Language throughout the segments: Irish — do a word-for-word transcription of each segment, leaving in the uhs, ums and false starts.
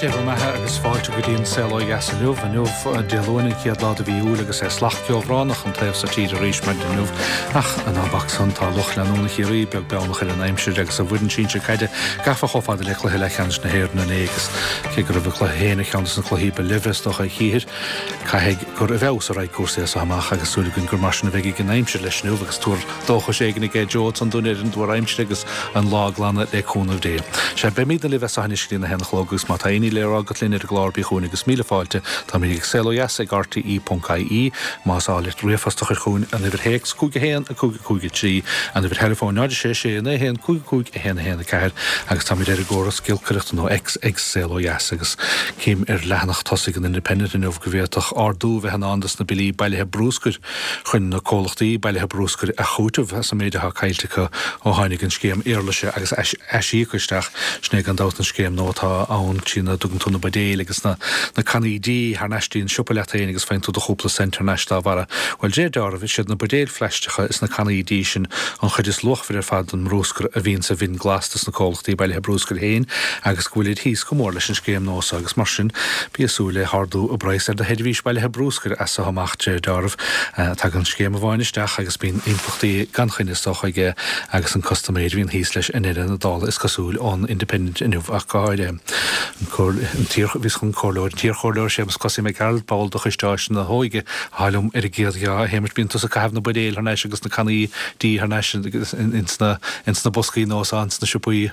Dia bhur mbeatha agus fáilte go dtí an Saol Ó Dheas inniu. Inniu Dé Luain an chéad lá de mhí Iúil agus é salach ceobhránach an taobh so tíre arís maidin inniu. Ach ná bac san tá lucht leanúna Chiarraí beag beannach ar an aimsir agus a bhfoireann sinsir caide gafa chomh fada le cluiche leathcheannais na hÉireann inné agus cé go raibh an cluiche féin ar cheann de na cluichí ba leimhe is dócha a chíthear, caithfidh gur i bhfeabhas a raghaidh cúrsaí as seo amach agus súil againn gur mar sin a bheidh ag an aimsir leis inniu agus tuar dóchais éigin aige Joe san dúinn ar an dtuar aimsire agus an lá ag glanadh le cúnamh Dé. Sea, beimidne libh as seo anois go dtí a haon a chlog agus má tá aon ní le rá agat linn ar an gclár bí chugainn agus míle fáilte. Táimid ag Saol Ó Dheas ag RTE ponc IE. Más áil leat ríomhphost a chur chugainn an uimhir théacs cúig a haon a cúig a cúig a trí, an uimhir theileafóin náid a sé sé naoi a haon cúig cúig a haon a haon a ceathair agus táimid ar an gcóras giolcaireachta nó X ag Saol Ó Dheas agus cím ar leathanach tosaigh an Independent inniu go bhféadfadh ardú bheith in ann dos na billí bailithe brúscair chun na comhlachtaí bailithe brúscair a chúiteamh as an méid atá caillte acu ó tháinig an scéim éarlaise agus aisíoca isteach. Sin é gan dabht an scéim nua atá ann trína dtugann tú na buidéil agus na na cannaí dí thar n-ais dtí an siopa leat féin agus faigheann tú do chúpla cent thar n-ais dá bharra. Bhuel, de réir dealraimh, is iad na buidéil phlaisteacha is na cannaí dí sin an chuid is luachmhaire ar fad den mbrúscar a bhíonn sa bhinn glas dos na comhlachtaí bailithe brúscair féin agus go bhfuilid thíos go mór leis an scéim nua seo agus mar sin bí ag súil le hardú i bpraghas ar do sheirbhís bailithe brúscair as seo amach de réir dealraimh. Tagann scéim amháin isteach agus bíonn impleachtaí gan choinne is dócha aige agus an custaiméir a bhíonn thíos leis i ndeireadh na dála is cosúil ón Independent inniu ach go háirithe. An t-iar, bhíos chun comhairleoir, an t-iarchomhairleoir Séamus Cosaí Mac Gearailt, ball de Choiste Áiseanna na hÓige, atá liom ar an gcéad gheá. A Shéamais, bíonn tusa ag caitheamh na buidéil thar n-ais agus na cannaí dí thar n-ais ins na, ins na boscaí nua seo ins na siopaí.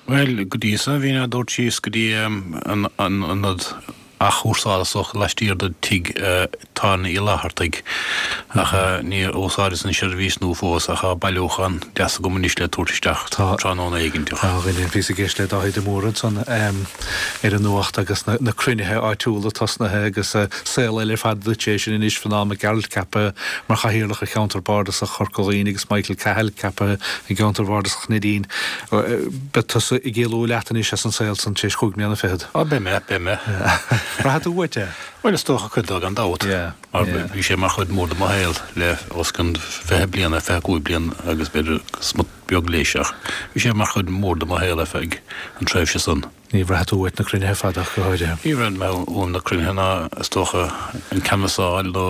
Bhuel, go dtí so bhínn á dtabhairt síos go dtí an ionad athchúrsála so laistiar de tigh tábhairne Uí Fhlathartaigh ach níor úsáideas an seirbhís nua fós ach tá bailiúchán deas agam anois le tabhairt isteach tráthnóna éigin. Tá, a dhuine, bhíos ag éisteacht le Dáithí de Mórdha ansan ar an nuacht agus na cruinnithe áitiúla tosnaithe agus saol eile ar fad duit é sin anois, Fionán Mac Gearailt ceaptha mar chathaoirleach ar cheantar bardasach Chorca Dhuibhne agus Michael Cahill ceaptha i gceantar bhardasach Neidín. Beidh tusa ag éalú leat anois as an saol san tar éis chúig mbliana fichead. Á, beidh mé, beidh mé. Rachaidh tú uait é? Bhuel, is dócha cuid dó gan dabht. Mar bhí sé mar chuid mhór de mo shaol le os cionn fiche bliain, fiche cúig bliain agus b'fhéidir smut beag leis ach bhí sé mar chuid mhór de mo shaol ar feadh an tréimhse san. Ní bhraithfidh tú uait na cruinnithe fada ach go háirithe. Ní bhraithfidh mé uaim na cruinnithe ná is dócha an canbhasáil nó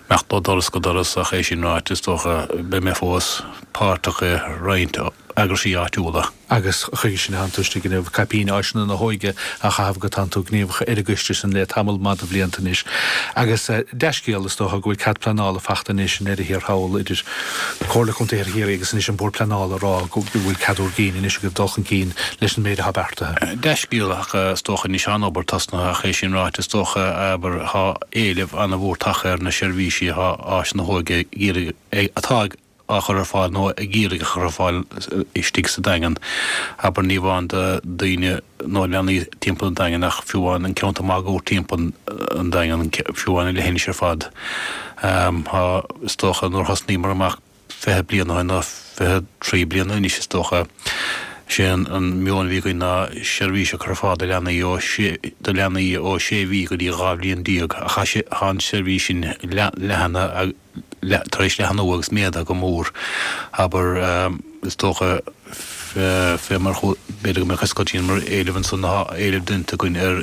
imeacht ó doras go doras ach é sin ráite is dócha beidh mé fós páirteach i roinnt eagraisí áitiúla. Agus chuige sin atánn tú istigh inniu, caipín Áiseanna na hÓige á chaitheamh agat, tánn tú gníomhach ar an gcoiste sin le tamall maith de bhlianta anois. Agus dea-scéal, is dócha, go bhfuil cead pleanála fachta anois i ndeireadh thiar thall idir Comhairle Contae Chiarraí agus anois an Bord Pleanála ag rá go bhfuil cead úr gcinn anois agaibh dul chun cinn leis an méid atá beartaithe. Dea-scéal ach is dócha anois tá an obair tosnaithe ach é sin ráite is dócha, abair, tá éileamh an-mhór tagtha ar na seirbhísí atá Áiseanna na hÓige ag iarraidh, atá ag. á chur ar fáil nó ag iarraidh a chur ar fáil istigh sa Daingean. Abair ní amháin do daoine nó leanaí timpeall an Daingin ach fiú amháin an ceantar máguaird timpeall an Daingean, fiú amháin an leithinis ar fad. Tá, is dócha, nuair a thosnaíomar amach fiche bliain ó shin nó fiche trí bliana anois is dócha, sé an meon a bhí againn ná seirbhís a chur ar fáil do leanaí ó do leanaí ó sé mhí go dtí dhá bhliain déag ach tá an seirbhís sin leathnaithe tar éis leathnú agus méadaithe go mór, abair, is dócha, fé mar b'fhéidir go mbeadh a fhios agat mar éileamh ansan, tá éileamh déanta againn ar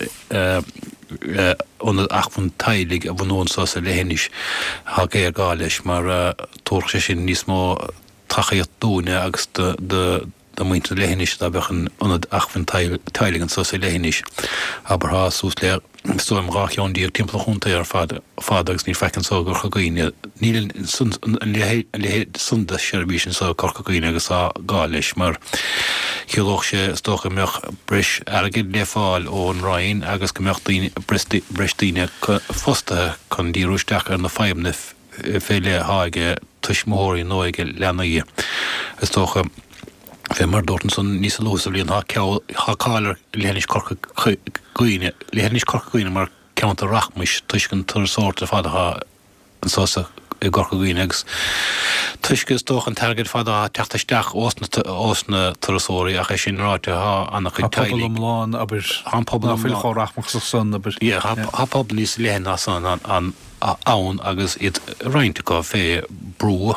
ionad acmhainn teaghlaigh a bhunú anso sa leithinis, tá géarghá leis mar tabharfadh sé sin níos mó tacaíocht dúinne agus do do mhuintir na leithinise dá mbeadh an ionad acmhainn teaghlaigh anso sa leithinis. Abair thá suas le, is dóigh liom, dhá cheann déag timpeall an chontae ar fad fad agus níl faic anso i gCorca Dhuibhne. Níl an leithéid san de sheirbhís anso i gCorca Dhuibhne agus tá gá leis mar chiallódh sé is dócha go mbeadh breis airgid le fáil ón Roinn agus go mbeadh daoine, breis daoine fostaithe chun díriú isteach ar na fadhbanna fé leith athá ag tuismitheoirí nó ag leanaí, is dócha. Fé mar dúrt ansan níos luaithe sa bhliain, tá cáil ar Leithinis Chorca Dhuibhne, Leithinis Chorca Dhuibhne mar cheantar rachmais toisc an turasóireacht ar fad athá anso sa i gCorca Dhuibhne agus toisc is dócha an t-airgead fad athá ag teacht isteach ós na ós na turasóirí ach é sin ráite thá ana-chuid Tá pobal teaghlaigh iomlán, abair, Tá an pobal ná fuil iomlán chomh rachmasach san, abair. Yeah, tá pobal níos leithne ná san an ann agus iad roinnt acu fé brú,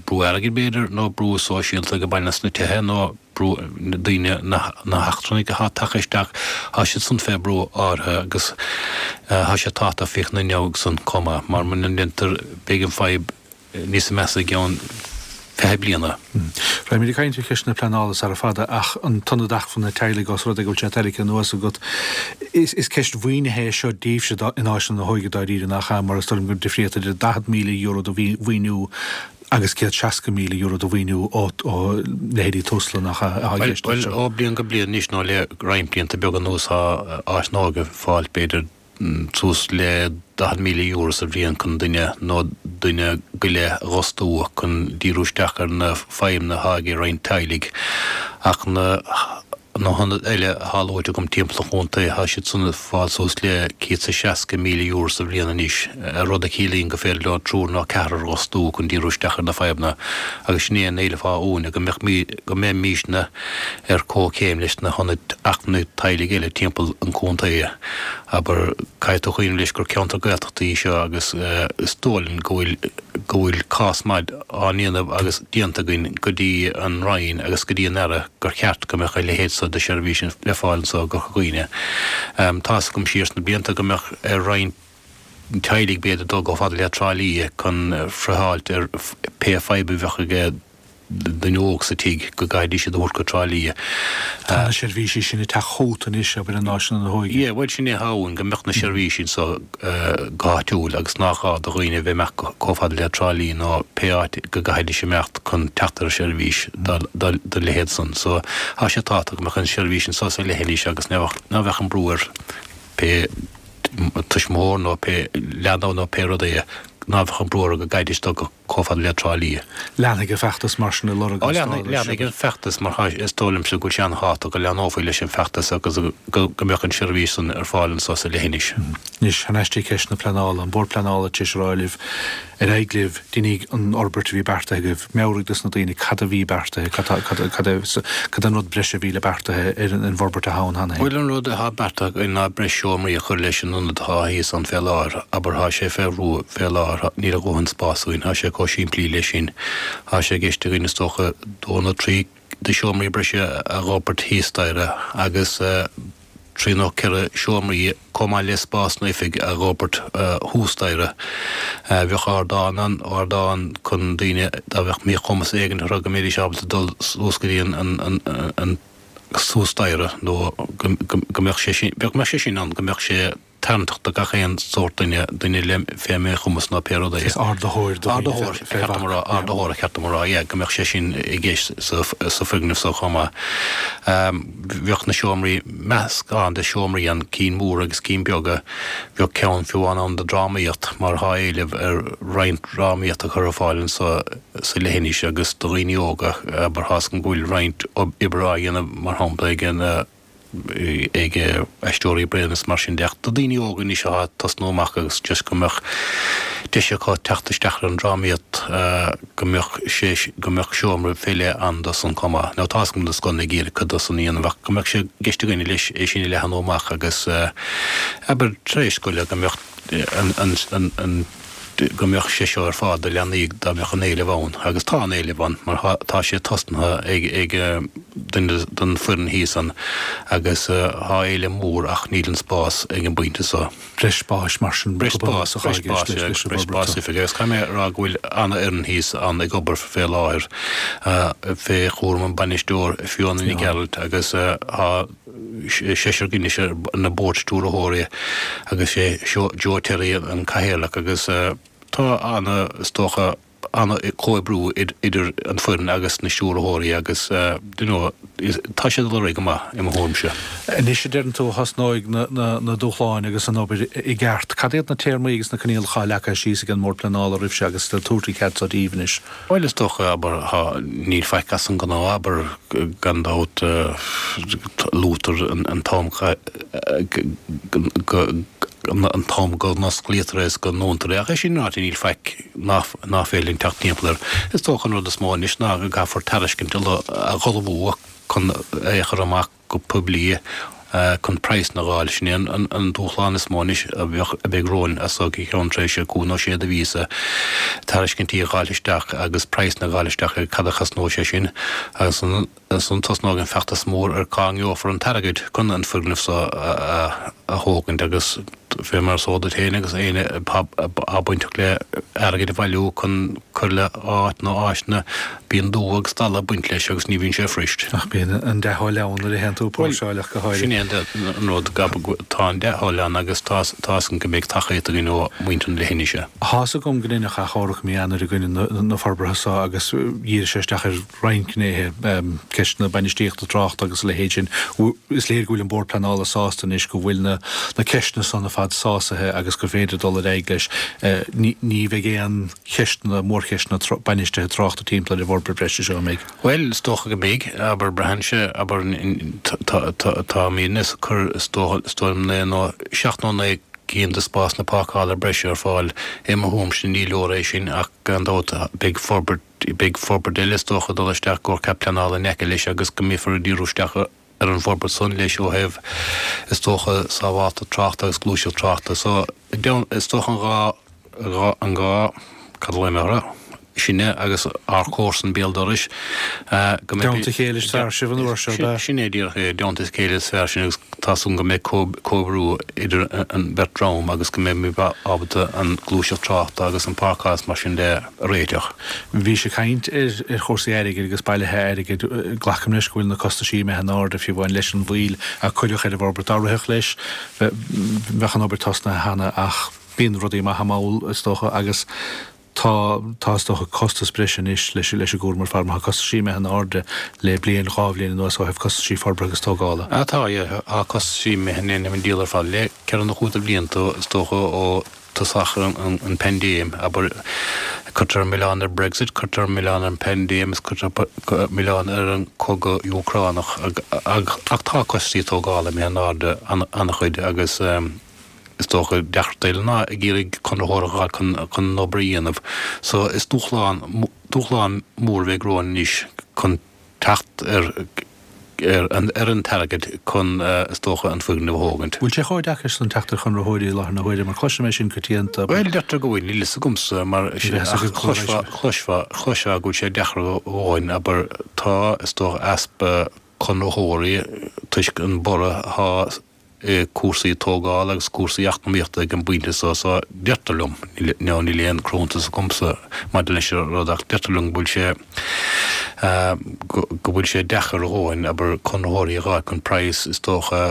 brú airgid b'fhéidir, nó brú sóisialta go baineann sna tithe nó brú, na daoine, na heachtrannaigh atá tagtha isteach, tá siad san fé brú áirithe agus tá sé tábhachtach féachaint ina dhiaidh san chomh maith, mar muna ndéantar beidh an fadhb níos measa i gceann fiche bliana. Raghaimid ag caint ar cheist na pleanála sara fada ach an tIonad Acmhainne Teaghlaigh os rud é go bhfuil sé tarraingthe anuas agat, is ceist mhaoinithe é seo daoibhse in Áiseanna na hÓige dáiríre, nach ea? Mar is dóigh liom gur difríocht idir daichead míle euro de mhaoiniú agus céad seasca míle euro de mhaoiniú ó leithéidí Tusla, nach ea, atá i gceist anseo. Bhuel, ó bliain go bliain anois nó le roinnt blianta beaga anuas tá Áis na hÓige ag fáil b'fhéidir suas le daichead míle euro sa bhliain chun duine nó duine go leith a dh'fhostú chun díriú isteach ar na fadhbanna atá ag roinnt teaghlaigh ach na na hionaid eile atá luaite agam timpeall an chontae tá siad san ag fáil suas le céad is a seasca míle euro sa bhliain anois, rud a chiallaíonn gur féidir leo triúr nó ceathrar a dh'fhostú chun díriú isteach ar na fadhbanna agus sin é an éileamh atá uainn go mbeadh go mbeimisne ar comhchéim leis na hionaid acmhainne teaghlaigh eile timpeall an chontae. Abair, caithfidh tú cuimhneamh leis gur ceantar Gaeltachta í seo agus is dóigh linn go bhfuil go bhfuil cás maith á ndéanamh agus déanta againn go dtí an Roinn agus go dtí an Aire gur cheart go mbeadh a leithéid so de sheirbhís le fáil anso i gCorca Dhuibhne. Tá's agam siar sna blianta go mbeadh ar roinnt teaghlaigh b'fhéidir dul chomh fada le Trá Lí chun friotháilt ar pé fadhb a bheadh ag duine óg sa tigh, go gcaithfidís iad a thabhairt go Trá Lí. Tá na seirbhísí sin ag teacht chugat anois, abair, in Áiseanna na hÓige. Yeah, bhuel sin é atá uainn, go mbeadh na seirbhísí anso go háitiúil agus nach gá do dhaoine a bheith ag imeacht chomh fada le Trá Lí nó pé áit go gcaithfidís imeacht chun teacht ar sheirbhís dá leithéid san. So, tá sé tábhachtach go mbeadh an seirbhís anso sa leithinis agus ná bheadh an brú ar pé tuismitheoir nó pé leanbh nó pé rud é ná bheadh an brú orthu go gcaithfidís dul go chomh fada le Trá Lí. Leanfaidh an feachtas mar sin ag lorg an stádas. Leanfaidh an feachtas mar is dóigh liomsa go bhfuil sé an-thábhachtach go leanófaí leis an bhfeachtas agus go mbeadh an seirbhís san ar fáil anso sa leithinis. Anois, thar n-ais dtí ceist na pleanála, an Bord Pleanála tar éis a rá libh, ar aghaidh libh, déanaigí an fhorbairt a bhí beartaithe agaibh, meabhraigh dos na daoine cad a bhí beartaithe, cad cad cad an rud breise a bhí le beartaithe ar an bhforbairt atá ann cheana féin. Bhuel an rud atá beartaithe againn ná breis seomraí a chur leis an ionad atá thíos ann fé láthair, abair tá sé fé bhrú fé láthair, níl a dhóthain spáis againn, tá sé chomh simplí leis sin. Tá sé i gceist againn is dócha dó nó trí de sheomraí breise a dh'fhorbairt thíos staighre agus trí nó ceithre seomraí chomh maith le spás na oifig a dh'fhorbairt thuas staighre. Bheadh ardán ann, ardán chun daoine dá mbeadh míchumas éigin orthu go mbeidís ábalta dul suas go dtí an an suas staighre nó go mbeadh sé sin, go mbeadh sé sin ann, go mbeadh sé tarraingteach do gach aon sórt duine, duine le fé mhíchumas nó pé rud é. Is ardaitheoir do dhaoine Ardaitheoir, fé cheart dom a rá, ardaitheoir a cheart dom a rá, yeah, go mbeadh sé sin i gceist sa sa foirgneamh so chomh maith. Bheadh na seomraí, meascán de seomraí ann, cinn mhóra agus cinn beaga, bheadh ceann fiú amháin ann do drámaíocht mar thá éileamh ar roinnt drámaíocht a chur ar fáil anso sa leithinis agus do dhaoine óga, abair, tá's agam go bhfuil roinnt oibre á dhéanamh mar shampla ag an ag Aisteoirí Bréan is mar sin de ach do daoine óga anois atá ag tosnú amach agus just go mbeadh deis acu teacht isteach ar an drámaíocht go mbeadh sé go mbeadh seomra fé leith ann do san chomh maith. Now tá's agam na scoileanna ag iarraidh cuid de san a dhéanamh ach go mbeadh sé i gceist againne leis é sin a leathnú amach agus abair tar éis scoile go mbeadh an an an an go mbeadh sé seo ar fáil do leanaí dá mbeadh an éileamh ann, agus tá an éileamh ann mar tá sé tosnaithe ag ag duine den foireann thíos ann agus tá éileamh mór ach níl an spás ag an bpointe seo. Breis spáis mar sin Breis spáis, breis spáis, yeah, breis spáis oifige agus caithfidh mé a rá go bhfuil an-fhoireann thíos ann ag obair fé láthair fé chúram an bainisteoir Fiona Nic Gearailt agus tá seisear againn anois ar na bord stiúrthóirí agus sé Joe Terry an cathaoirleach agus tá ana, is dócha, ana comhoibriú idir an foireann agus na stiúrthóirí agus you know tá sé ag dul ar aghaidh go maith i mo thuairimse. Anois a deireann tú a thosnóidh na dúshláin agus an obair i gceart. Cad iad na téarmaí agus na coinníollacha atá leagtha síos ag an mBord Pleanála roimhse agus le tabhairt an cead so daoibh anois? Bhuel, is dócha, abair, thá, níl faic as an ngnáth, abair, gan dabht, luaitear an t-am go, an t-am go n-osclaítear é is go ndúntar é, ach é sin ráite, níl faic ná ná féidir linn teacht timpeall air. Is dócha an rud is mó anois ná go gcaithfear tairiscint a ullmhú chun é a chur amach go poiblí chun praghsanna a dh'fháil. Sin é an dúshlán is mó anois a bheidh romhainn as so go ceann tréimhse cúig nó sé de mhíosa, tairiscintí a dh'fháil isteach agus praghsanna a dh'fháil isteach ar cad a chosnóidh sé sin agus ansan tosnóidh an feachtas mór ar cá ngeofar an t-airgead chun an foirgneamh so a thógaint agus fé mar is eol duit féin agus éinne atá bainteach le airgead a bhailiú chun cur le áit nó áiseanna, bíonn dua agus dalla ag baint leis agus ní bhíonn sé fuirist. Ach bíonn an dea-thoil ann nuair a théann tú ag póirseáil ach go háirithe. Sin é an rud, tá an dea-thoil ann agus tá a fhios agam go mbeidh tacaíocht againn ó mhuintir na leithinise. Tá 'fhios agam go ndeineadh achomharc mí Eanáir i gcoinne na forbartha so agus dhírigh sé isteach ar roinnt gnéithe, ceisteanna bainistíochta tráchta agus a leithéid sin. Is léir go bhfuil an Bord Pleanála sásta anois go bhfuil na ceisteanna san ar fad sásaithe agus gur féidir dul ar aghaidh leis. Ní bheidh aon cheisteanna, mórcheisteanna bainistithe tráchta timpeall ar an bhforbairt bhreise seo, an mbeidh? Bhuel, is dócha go mbeidh. Abair, braitheann sé, abair, táimidne ag cur, is dóigh liom, naoi nó seacht nó naoi gcinn de spásanna páirceála breise ar fáil. I mo thuairimse ní leor é sin ach gan dabht beidh forbairt, beidh forbairt eile is dócha ag dul isteach i gcomhair cead pleanála in aice leis agus go mbeifear ag díriú isteach ar an bhforbairt san leis ó thaobh is dócha sábháilteacht tráchta agus gluaiseacht tráchta. So is dócha an dhá, an dhá, cad a ghlaofaidh mé orthu? sinne agus ár comharsan béal dorais go mbeidh. I dteannta a chéile is fearr sibh an uair seo, ab ea? Sin é díreach é, i dteannta a chéile is fearr sinn agus tá súil agam go mbeidh comhoibriú idir an bheirt dream agus go mbeimid ábalta an ghluaiseacht tráchta agus an páirceáil is mar sin de a réiteach. Bhís ag caint ar chúrsaí airgid agus bailithe airgid. Glacaim leis go bhfuil na costaisí imithe in airde, fiú amháin leis an mhoill a cuireadh ar an bhforbairt. Dá rithfeadh leis, bheadh an obair tosnaithe cheana ach bíonn rudaí imithe mall, is dócha, agus Tá, tá is dócha costas breise anois leis leis an gcúram ar fad mar tá costaisí imithe in airde le bliain, dhá bhliain anuas ó thaobh costaisí forbartha agus tógála. Ah tá, yeah, tá costaisí imithe in an diabhal ar fad le ceithre nó cúig de bhlianta is dócha ó tosach an an paindéim, abair, cuirtear an milleán ar Brexit, cuirtear an milleán ar an paindéim is cuirtear milleán ar an cogadh Úcránach ach tá costaisí tógála imithe in airde an-chuid agus is dócha, deacracht eile ná ag iarraidh conraitheoir a dh'fháil chun chun an obair a dhéanamh. So is dúshlán, dúshlán mór a bheidh romhainn anois chun teacht ar ar an ar an t-airgead chun is dócha an foirgneamh a thógaint. Bhfuil sé chomh deacair san teacht ar chonraitheoirí i láthair na huaire mar cloisim é sin coitianta. Bhuel deirtear go bhfuil, níl fhios agamsa mar ach chloisfeá, chloisfeá, chloisfeá go bhfuil sé deacair a dhóthain, abair tá is dócha easpa conraitheoirí toisc an borradh atá i cúrsaí tógála agus cúrsaí eacnamaíochta ag an bpointe so so deirtear liom, now níl aon chruthúnas agamsa maidir leis an rud ach deirtear liom go bhfuil sé go bhfuil sé deacair a dhóthain abair conraitheoirí a dh'fháil chun praghas is dócha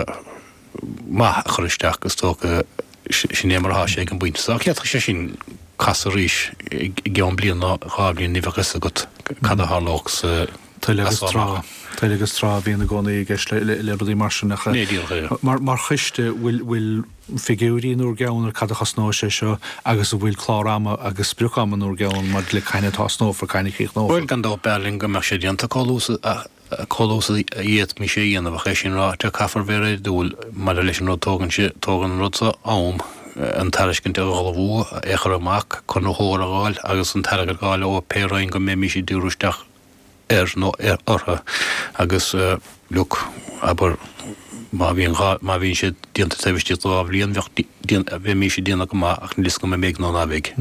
maith a chur isteach is dócha sin é mar atá sé ag an bpointe so ach d'fhéadfadh sé sin casadh arís i gceann bliain nó dhá bhliain ní bheadh fhios agat cad a tharlódh sa Toil agus tráth. Toil agus tráth a bhíonn i gcónaí i gceist le rudaí mar sin ach mar choiste bhfuil figiúirí in bhur gceann ar cad a chosnóidh sé seo agus an bhfuil clár ama agus sprioc ama in bhur gceann maidir le cathain a tosnófar, cathain a chríochnófar? Bhuel, gan dabht b'fhearr linn go mbeadh sé déanta chomh luath is a d'fhéadfaimis é a dhéanamh ach é sin ráite caithfear bheith réadúil maidir leis an rud tógann sé, tógann an rud seo am, an tairiscint a ullmhú, é a chur amach, conraitheoir a dh'fháil agus an t-airgead a dh'fháil ó pé roinn go mbeimis ag díriú isteach air nó orthu agus look, abair, má bhíonn dhá, má bhíonn sé déanta taobh istigh de dhá bhliain, bheadh, bheimis ag déanamh go maith ach níl fhios agam an mbeidh nó ná beidh.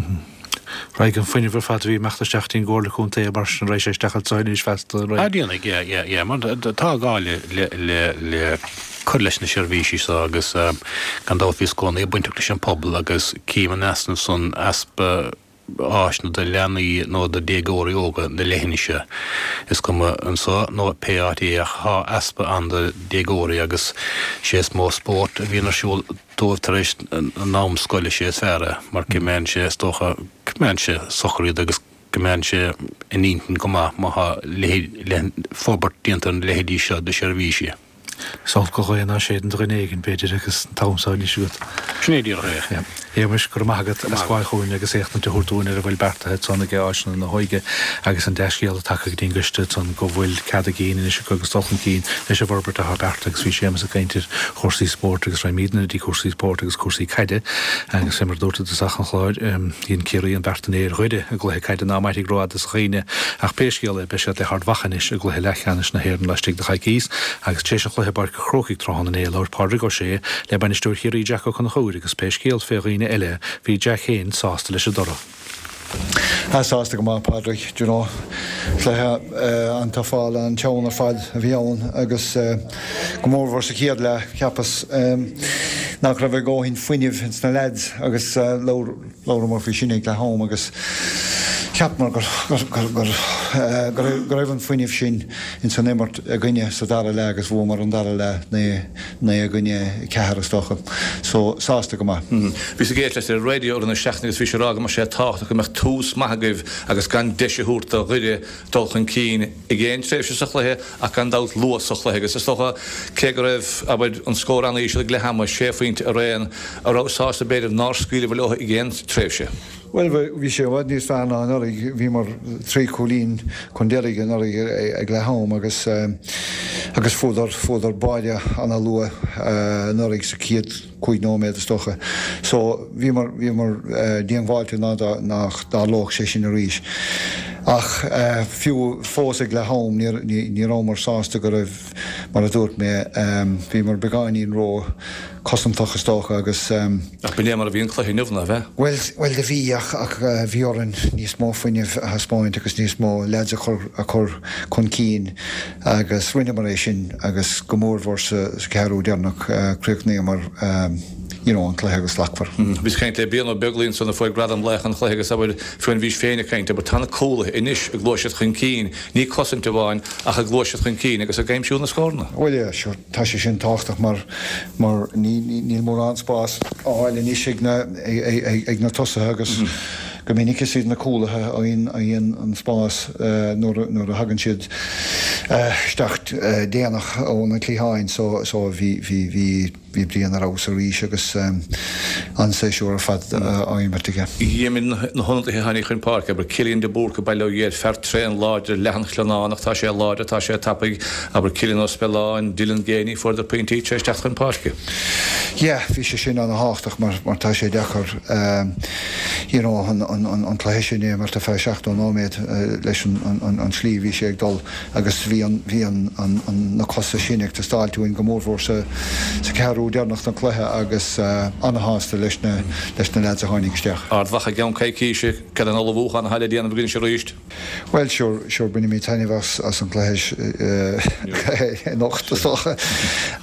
Raghaidh an fuinneamh ar fad a bhí ag imeacht isteach dtí'n gComhairle Contae mar sin, raghaidh sé isteach anso anois feasta, an raghaidh? Ah déanfaidh, yeah, yeah, yeah, mar tá gá le, le, le, le cur leis na seirbhísí seo agus gan dabht bhíos i gcónaí bainteach leis an pobal agus cím an easnamh san, easpa, áiseanna do leanaí nó do déagóirí óga na leithinise. Is cuma anso nó pé áit é ach thá easpa ann do déagóirí agus sé is mó spórt a bhíonn ar siúl dóibh tar éis an am scoile sé is fearr é mar coimeádann sé is dócha coimeádann sé socair iad agus coimeádann sé a n-intinn go maith má thá leithéid forbairt déanta ar na leithéidí seo de sheirbhísí. Is olc an ghaoth ná séideann do dhuine éigin, b'fhéidir, agus an t-am so anois agat. Sin é díreach é. Shéamais, go raibh maith agat as gabháil chugainn agus éachtaint a thabhairt dúinn ar a bhfuil beartaithe ansan ag Áiseanna na hÓige agus an dea-scéal atá tagtha go dtí an gcoiste ansan go bhfuil cead a gcinn anois acu agus dul chun cinn leis an bhforbairt atá beartaithe agus bhí Séamas ag caint ar chúrsaí spóirt agus raghaimidne go dtí cúrsaí spóirt agus cúrsaí caide agus fé mar a dúrt i dtosach an chláir dhein Ciarraí an beart inné ar Dhoire i gcluiche caide ná mairfidh rófhada sa chuimhne ach pé scéal é beidh siad le hArd Mhacha anois i gcluiche leathcheannais na hÉireann laistigh de choicís agus tar éis an chluiche i bPáirc an Chrócaigh tráthnóna inné labhair Pádraig Ó Sé le bainisteoir Chiarraí Jack Ó Conchúir agus pé scéal fé dhaoine eile, bhí Jack féin sásta leis an dtoradh. Ah, sásta go maith, Pádraig, do you know. Cluiche an-tafáil an-teann ar fad a bhí ann agus go mórmhór sa chéad leath, cheapas nach raibh a dhóthain fuinnimh ins na leaids agus labhramar faoi sin ag leath am agus cheapamar go raibh an fuinneamh sin ins an imirt againne sa dara leath agus bhuamar an dara leath naoi naoi i gcoinne ceathair is dócha. So, sásta go maith. Bhíos ag éisteacht leis ar an raidió i rith na seachtaine agus bhí sé ag rá go mbeadh sé tábhachtach go mbeadh tús maith agaibh agus gan deis a thabhairt do Dhoire dul chun cinn ag aon tréimhse sa chluiche ach gan dabht luath sa chluiche agus is dócha cé go raibh, abair, an scór an-íseal ag leath ama, sé phointe araon, an raibh sásta b'fhéidir nár scaoileabhair leo ag aon tréimhse. Bhuel, bhí sé i bhfad níos fearr ná anuraidh. Bhíomar trí chúilín chun deiridh anuraidh ag leath am agus agus fuaireadar fuaireadar báide ana-luath anuraidh sa chéad cúig nóiméad is dócha. So bhíomar bhíomar díongbháilte nach dtarlódh sé sin arís. Ach fiú fós ag leath am ní ní rabhamar sásta go raibh mar a dúirt mé bhíomar beagáinín ró cosantach is dócha agus. Ach b'in é mar a bhí an cluiche inniu, nárbh ea? Bhuel, bhuel do bhí ach, ach bhí orainn níos mó fuinnimh a thaispeáint agus níos mó leaids a chur, a chur chun cinn agus rinneamar é sin agus go mórmhór sa, sa cheathrú deireanach chríochnaíomar you know an cluiche go slachtmhar. Bhíos ag caint le Brian Ó Beaglaoich ansan a fuair gradam laoch an chluiche agus abair fiú bhís féin ag caint abair tá na cúlaithe anois ag gluaiseacht chun cinn, ní cosaint amháin ach ag gluaiseacht chun cinn agus ag aimsiú na scóranna. Bhuel yeah sure tá sé sin tábhachtach mar mar níl mórán spás á fháil anois ag na ag na tosaithe agus go minic is iad na cúlaithe a fhaigheann an spás nuair nuair a thagann siad isteach déanach ó na cliatháin so so bhí bhí bhí Bhí Brian ar fheabhas arís agus an-séasúr ar fad á imirt aige. Dheimhin na hionadaithe a tháinig chun páirce, abair, Cillian de Búrca, Baile Ó Ghéir, fear tréan láidir, leathanchlionánach, tá sé láidir, tá sé tapaidh, abair, Cillian Ó Spealáin, Dylan Geaney, fuaireadar pointí tar éis teacht chun páirce. Yeah, bhí sé sin ana-thábhachtach mar mar tá sé deacair you know an an cluiche sin a imirt ar feadh seachtó nóiméad leis an an tslí a bhí sé ag dul. agus bhí an, bhí an, an, an, na cosa sin ag teastáilt uainn go mórmhór sa, sa cheathrú deireanach den chluiche agus ana-shásta leis na, leis na leaids a tháinig isteach. Ard Mhacha i gceann coicíse, cad é an ullmhúchán atá le déanamh agaibh anois arís? Bhuel, sure, sure, bainfimid taitneamh as, as an chluiche anocht is dócha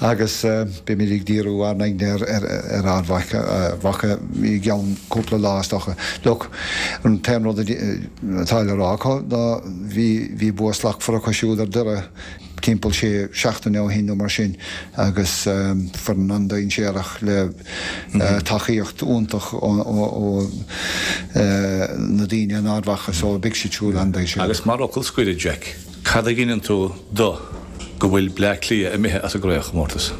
agus beimid ag díriú ár n-aigne ar, ar, ar Ard Mhacha, Mhacha i gceann cúpla lá is dócha. Look, an t-aon rud a, atá le rá acu ná bhí bhí bua slachtmhar acu siúd ar Doire timpeall sé seachtaine ó shin nó mar sin agus foireann an-dainséarach le tacaíocht iontach ó na daoine in Ard Mhacha so beidh siad siúd an-dainséarach. Agus mar fhocal scoir, a Jack, cad a ghineann tú do go bhfuil Bleá Cliath imithe as an gcraobhchomórtas?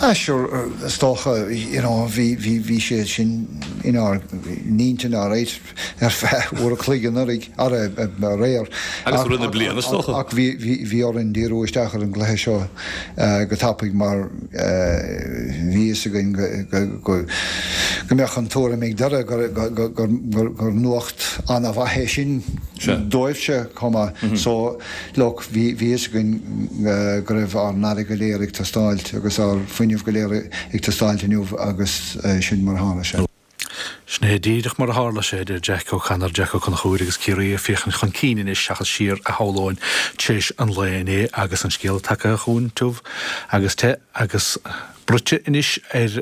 Ah sure, is dócha, you know, bhí bhí bhí sé sin inár n-intinn alright ar feadh uair a chloig anuraidh, aréir. Agus i rith na bliana, is dócha. Ach bhí bhí bhí orainn díriú isteach ar an gcluiche seo go tapaidh mar bhí fhios againn go go go go mbeadh an tuairim ag Doire gur gur gur gur nuacht an-mhaith é sin dóibhse chomh maith. So Look, bhí fhios againn go raibh ár n-aire go léir ag teastáilt agus ár bhfuinneamh go léir ag teastáilt inniu agus sin mar a tharla sé. Sin é díreach mar a tharla sé, a deir Jack O'Connor, Jack Ó Conchúir agus Ciarraí ag féachaint chun cinn anois seachas siar a shamhlóinn tar éis an lae inné agus an scéal tagtha chugainn tiubh agus te agus bruite anois ar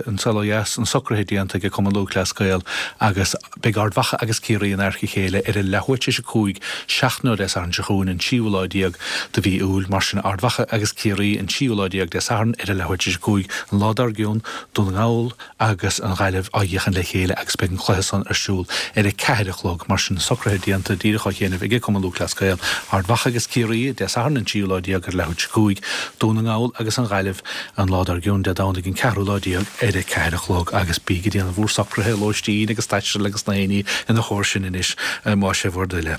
an saol ó dheas, na socruithe déanta ag Cumann Lúthchleas Gael agus beidh Ard Mhacha agus Ciarraí in adharca a chéile ar a leathuair tar éis a cúig seachtain ó Dé Sathairn seo chugainn, an tríú lá déag de mhí Iúil. Mar sin, Ard Mhacha agus Ciarraí an tríú lá déag Dé Sathairn ar a leathuair tar éis a cúig, an lá dár gcionn, Dún na nGall agus an Ghaillimh á bhféachaint le chéile agus beidh an cluiche san ar siúl ar a ceathair a chlog. Mar sin, socruithe déanta díreach ó chianaibh ag Cumann Lúthchleas Gael, Ard Mhacha agus Ciarraí, Dé Sathairn an tríú lá déag ar a leathuair tar éis a cúig, Dún na nGall agus an Ghaillimh an lá dár gcionn. tráthnóna Dé Domhnaigh an ceathrú lá déag ar a ceathair a chlog agus bíg ag déanamh bhur socruithe lóistín agus taistil agus na héinní ina chomhair sin anois más é bhur dtoil é.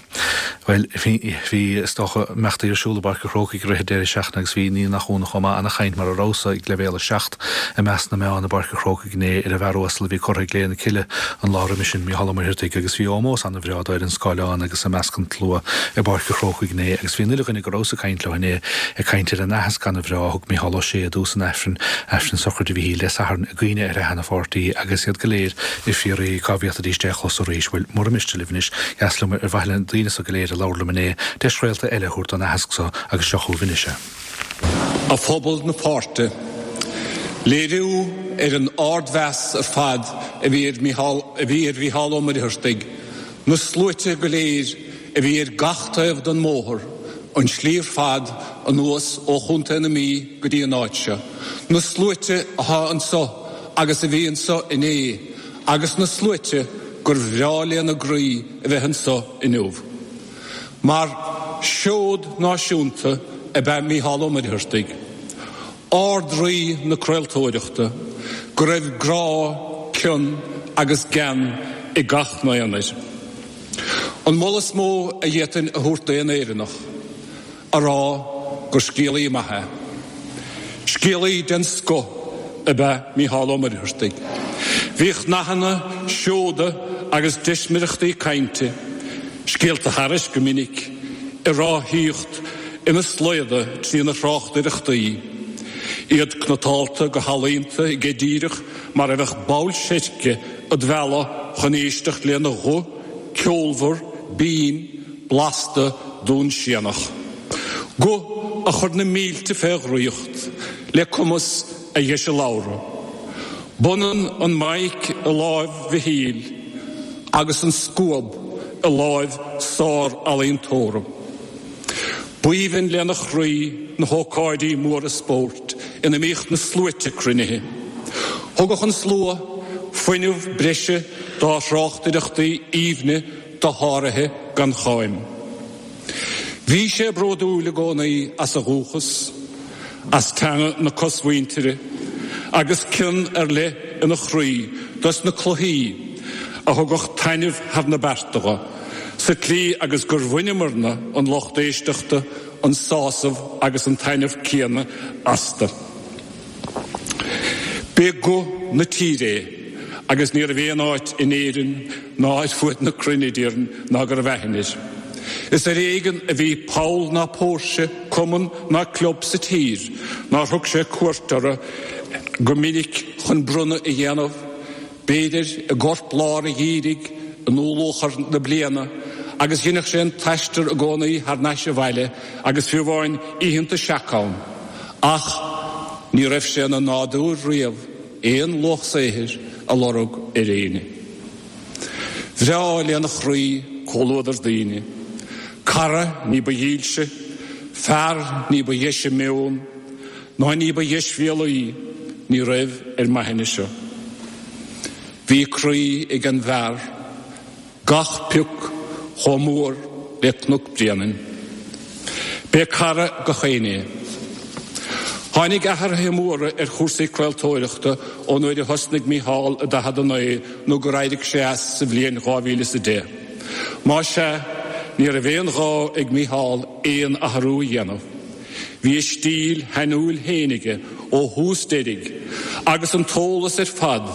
Bhuel, bhí is dócha imeachtaí ar siúl i bPáirc an Chrócaigh i rith an deireadh seachtaine agus bhí ní nach ionadh chomh maith ana-chaint mar a rabhas ag leibhéal a seacht i measc na meán i bPáirc an Chrócaigh inné ar an bhfear uasal a bhí curtha i gclé na cille an lá roimhe sin, Mícheál Ó Muircheartaigh, agus bhí ómós ana-bhreá dó ar an scáileán agus i measc an tslua i bPáirc an Chrócaigh inné agus bhí an uile dhuine go rabhas ag caint leo inné ag caint ar an aitheasc ana-bhreá a thug Mícheál Ó Sé i dtús an Aifrinn, Aifreann sochraide Mhichíl Dé Sathairn i gcuimhne ar a sheana-pháirtí agus iad go léir ag fiafraí cá bhféadfaidís é a chlos arís. Bhuel, mura miste libh anois, dheas liom ar mhaithe le na daoine so go léir a labhair liom inné, deis réalta eile a thabhairt don aitheasc so agus seo chugaibh anois é. A phobal na páirte, léiriú ar an ardmheas ar fad a bhí ar Mhícheál a bhí ar Mhícheál Ó Muircheartaigh, na sluaite go léir a bhí ar gach taobh den mbóthar, an tslí ar fad anuas ó Chontae na Mí go dtí an áit seo, na sluaite atá anso agus a bhí anso inné agus na sluaite gur bhreá lena gcroí a bheith anso inniu. Mar seod náisiúnta ab ea Mícheál Ó Muircheartaigh, Ard-Rí na craoltóireachta, go raibh grá, cion agus gean ag gach n-aon air. An moladh is mó a d'fhéadfainn a thabhairt d'aon Éireannach, a rá gur scéalaí maith é. Scéalaí den scoth ab ea Mícheál Ó Muircheartaigh. Bhíodh nathanna, seoda agus deismireachtaí cainte, scéalta thairis go minic, ag ráthaíocht ina slaoda trína thráchtaireachtaí, iad cniotáilte go healaíonta aige díreach mar a bheadh ball seirce id mhealladh chun éisteacht lena ghuth ceolmhar, binn, blasta dúnsianach. Guth a chuir na mílte fé dhraíocht le cumas a dheise labhartha. B'ionann an mic i láimh Mhichíl agus an scuab i láimh sár-ealaíontóra. B'aoibhinn lena chroí na hócáidí móra spóirt ina mbíodh na sluaite cruinnithe. Thugadh an slua fuinneamh breise dá thráchtaireachtaí aoibhne dosháraithe gan cháim. Bhí sé bródúil i gcónaí as a dhúchas, as teanga na cosmhuintire, agus cion ar leith ina chroí dos na cluichí a thugadh taitneamh thar na bearta dho, sa tslí agus gur bhaineamarna, an lucht éisteachta, an sásamh agus an taitneamh céanna astu. B'é guth na tíre é agus ní raibh aon áit in Éirinn ná ar fuaid na cruinne, déarfainn, ná go raibh aithne air. Is ar éigean a bhí poll ná póirse, cumann ná club sa tír nár thug sé cuairt orthu go minic chun bronnadh a dhéanamh, b'fhéidir, i gcorp lár an gheimhridh, i ndúluachair na bliana, agus dheineadh sé an t-aistear i gcónaí thar n-ais abhaile agus fiú amháin oícheanta seaca ann, ach ní raibh sé ina nádúr riamh aon luach saothair a lorg ar éinne. Bhreá lena chroí comhluadar daoine, cara ní ba dhílse, fear ní ba dheise meon, ná ní ba dheisbhéalaí ní raibh ar m'aithne seo. Bhí croí ag an bhfear, gach pioc chomh mór le Cnoc Bréanainn. B'é cara gach éinne é. Tháinig athruithe móra ar chúrsaí craoltóireachta ón uair a thosnaigh Mícheál i daichead a naoi nó gur éirigh sé as sa bhliain dhá mhíle is a deich. Más ea, ní raibh aon ghá ag Mícheál aon athrú a dhéanamh. Bhí a stíl shainiúil féin aige ó thús deiridh agus an t-eolas ar fad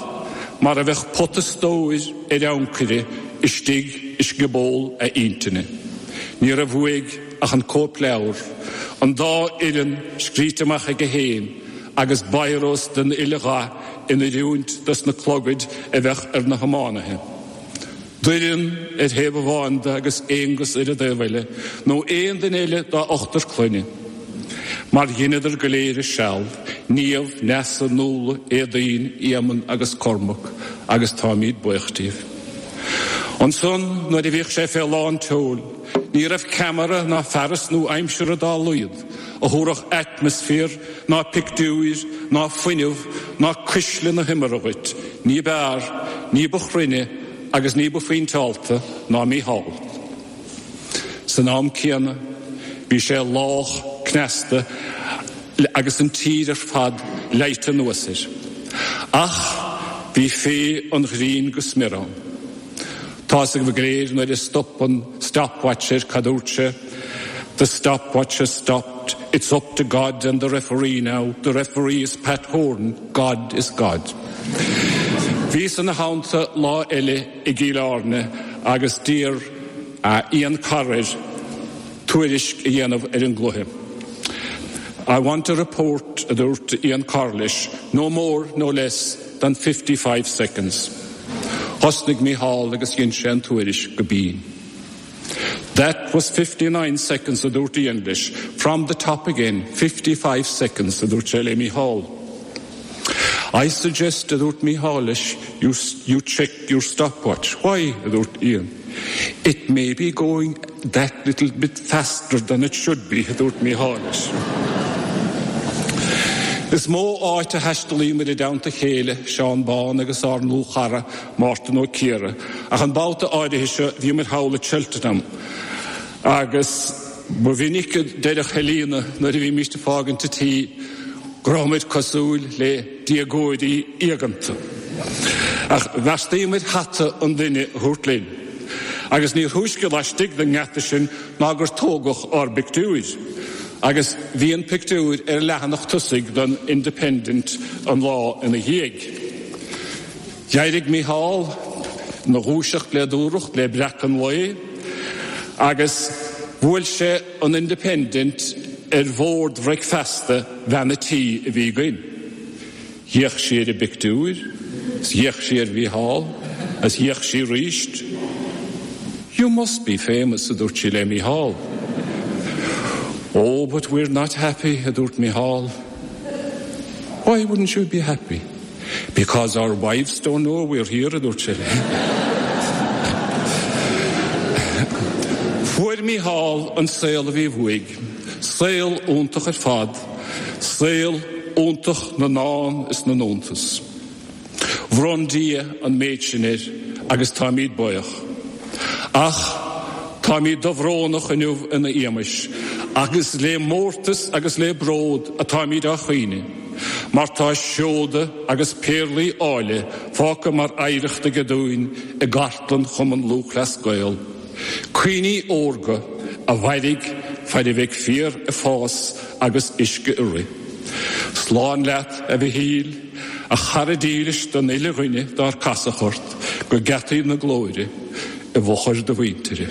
mar a bheadh pota stóir ar ancaire istigh i scioból a intinne. Ní raibh uaidh ach an cóipleabhar, an dá fhoireann scríte amach aige féin agus biros den uile dhath in oiriúint dos na clogaid a bheadh ar na hiománaithe. Doireann ar thaobh amháin de agus Aonghus ar an dtaobh eile, nó aon duine eile dá ochtar clainne. Mar dheineadar go léir a seal, Niamh, Neasa, Nuala, Éadaoin, Éamonn agus Cormac, agus táimíd buíoch díobh. Ansan, nuair a bhíodh sé fé lán tseoil, ní raibh ceamara ná fearas nua-aimseartha dá laghad a thabharfadh atmaisféar ná pictiúir ná fuinneamh ná cuisle na himeartha dhuit ní b'fhearr, ní ba chruinne agus ní ba phointeálta ná Mícheál. San am céanna, bhí sé lách cneasta agus an tír ar fad leite anuas air. Ach bhí féith an ghrinn go smior ann. Tá's agaibh go léir nuair a stop an stopwatch air cad dúirt sé, The stopwatch has stopped. It's up to God and the referee now. The referee is Pat Horan. God is God. Bhíos ina theannta lá eile i gCill Airne agus d'iarr Ian Carr air tuairisc a dhéanamh ar an gcluiche. I want a report, a dúirt Ian Carr leis, no more, no less than fifty-five seconds. Thosnaigh Mícheál agus dhein sé an tuairisc go binn. That was fifty-nine seconds, a dúirt Ian leis. From the top again, fifty-five seconds, a dúirt sé le Mícheál. I suggest, a dúirt Mícheál leis, you, you check your stopwatch. Why, a dúirt Ian. It may be going that little bit faster than it should be, a dúirt Mícheál leis. Is mó áit a thaistealaíomar i dteannta a chéile, Seán Bán agus ár ndlúthchara, Mártan Ó Ciardha, ach an babhta áirithe seo bhíomar thall i Cheltenham. Agus ba mhinic a deireadh Helena nuair a bhímist ag fágaint an tí go rabhamar cosúil le déagóirí éaganta. Ach bheartaíomar hata an duine a thabhairt linn. Agus níor thúisce laistigh den ngeata sin ná gur tógadh ár bpictiúir. Agus bhí an pictiúr ar leathanach tosaigh den Independent an lá ina dhiaidh. D'éirigh Mícheál ina dhúiseacht le dúthracht le breacadh an lae agus bhuail sé an Independent ar bhord bhricfeasta bhean a' tí a bhí againn. D'fhéach sí ar an bpictiúr, is d'fhéach sí ar Mhícheál, is d'fhéach sí arís. You must be famous, a dúirt sí le Mícheál. Oh, but we're not happy, a dúirt Mícheál. Why wouldn't you be happy? Because our wives don't know we're here, a dúirt sé. Fuair Mícheál an saol a bhí uaidh, saol iontach ar fad, saol iontach na ndán is na n-iontas. Bhronn Dia an méid sin air agus táimid buíoch. Ach táimid dobhrónach inniu ina éagmais, agus le mórtas agus le bród atáimid á chaoineadh, mar tá seoda agus péarlaí áille fágtha mar oidhreacht aige dúinn i gcartlann Chumann Lúthchleas Gael. Cuimhní órga a mhairfidh fad a bheidh féar ag fás agus uisce ag rith. Slán leat, a Mhichíl, a chara dílis don uile dhuine dár casadh ort go geataí na glóire i bhfochair do mhuintire.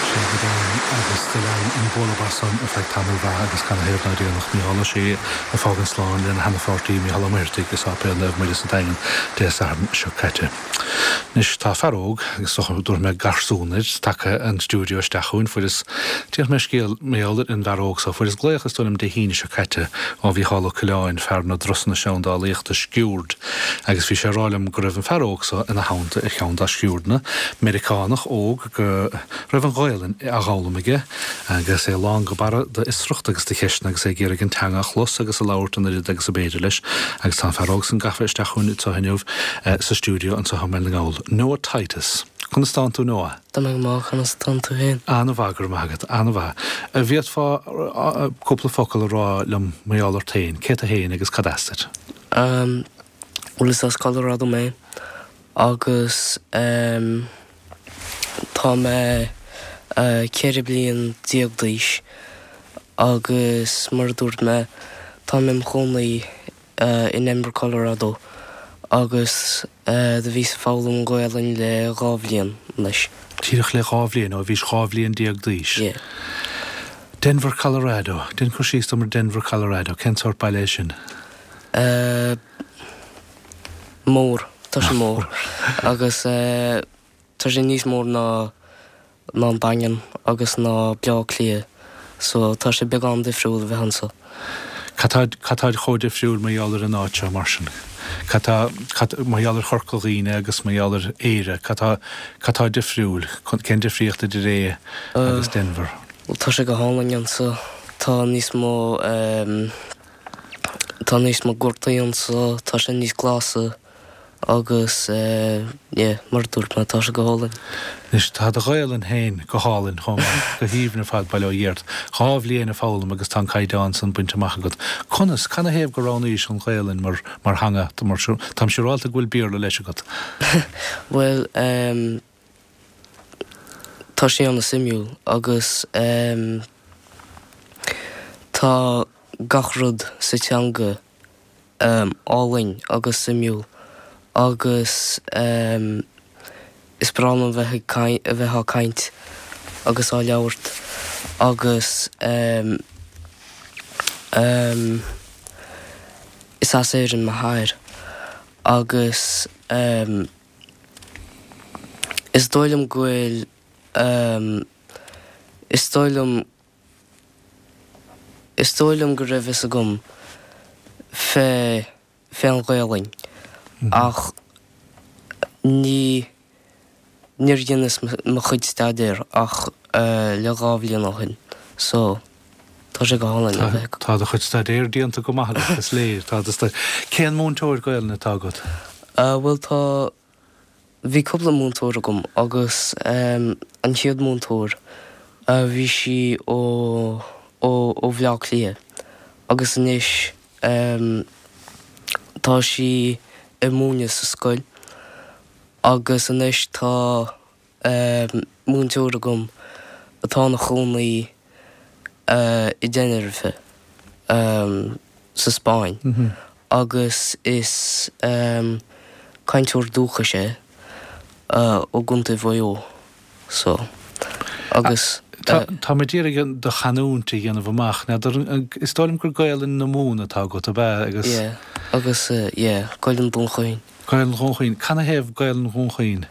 Sé go deimhin agus do lean an bualadh bos san ar feadh tamaill mhaith agus canathaobh nár déanadh Mícheál Ó Sé ag fágaint slán lena sheana-pháirtí Mícheál Ó Muircheartaigh i Sáipéal Naomh Muire sa Daingean Dé Sathairn seo caite. Anois tá fear óg, agus dúirt mé garsún air, tagtha an stiúideo isteach chugainn. Fuaireas, déarfaidh mé scéal mar gheall ar an bhfear óg so, fuaireas glaoch is dóigh liom Dé hAoine seo caite ó Mhícheál Ó Coileáin, fear na dturasanna seandálaíochta Sciuird, agus bhí sé ag rá liom go raibh an fear óg so ina theannta ar cheann dá sciuirdeanna, Meiriceánach óg go raibh an Ghaelainn á dh'fhoghlaim aige agus é lán go barra d'fhiosracht agus de cheisteanna agus é ag iarraidh an teanga a chlos agus a labhairt an oiread agus ab fhéidir leis. Agus tá an fear óg san gafa isteach chugainn anseo inniu sa stiúideo anseo i mBaile na nGall. Noah Titus. Conas tánn tú Noah? Tá mé go maith, conas tánn tú féin? An-mhaith, go raibh maith agat, an-mhaith. An bhféadfá cúpla focal a rá liom mar gheall ort féin, cé tú féin agus cad as duit? Bhuel is as Colorado mé agus tá mé ceithre bliain déag d'aois agus mar a dúirt mé tá mé im chónaí i nDenver, Colorado agus do bhíos ag foghlaim an Ghaelainn le dhá bhliain anois. Díreach le dhá bhliain, ó bhís dhá bhliain déag d'aois. Yeah. Denver, Colorado. Déan cur síos dom ar Denver, Colorado. Cén sórt baile é sin? Uh, mór, tá sé mór. Agus uh, tá sé níos mór ná ná an Daingean agus ná Bleá Cliath, so tá sé beagán difriúil a bheith anso. Cad tá cad tá chomh difriúil mar gheall ar an áit seo mar sin? Cad tá cad mar gheall ar Chorca Dhuibhne agus mar gheall ar Éire, cad tá cad tá difriúil? Cén difríocht idir é agus Denver? Bhuel tá sé go hálainn anso, tá níos mó ehm tá níos mó gortaí anso, tá sé níos glasa Agus yeah, mar a dúirt mé, tá sé go hálainn. Anois, tá do Ghaelainn féin go hálainn chomh maith, go haoibhinn ar fad, bail ó Dhia ort. Dhá bhliain ag foghlaim agus tá an caighdeán san bainte amach agat. Conas, canathaobh gur roghnaís an Ghaelainn mar, mar theanga? Táim siúrálta go bhfuil Béarla leis agat. Bhuel, ehm, tá sé an-suimiúil agus ehm, tá gach rud sa teanga álainn agus suimiúil agus is breá liom bheith ag caint, a bheith á caint agus á labhairt agus is as Éirinn m'athair agus is dóigh liom go bhfuil, is dóigh liom, Is dóigh liom go raibh fhios agam fé fén Ghaelainn ach ní níor dheineas mo chuid staidéir ach le dhá bhliain ó shin so tá sé go hálainn a bheith Tá do chuid staidéir déanta go maith agat, is léir. Tá do staid. Cén múinteoir Gaelainne atá agat? Bhuel tá Bhí cúpla múinteoir agam agus an chéad múinteoir bhí sí ó ó ó Bhleá Cliath agus anois tá sí ag múineadh sa scoil agus anois tá múinteoir agam atá ina chónaí i dTenerife sa Spáinn agus is cainteoir dúchais é ó gContae Mhaigh Eo so agus. Tá mé d'iarraidh do chanúint a dhéanamh amach. N'fheadar, is dóigh liom gur Gaelainn na Mumhan atá agat, ab ea? Agus. Yeah, agus yeah, Gaelainn Dhún Chaoin. Gaelainn Dhún Chaoin. Canathaobh Gaelainn Dhún Chaoin?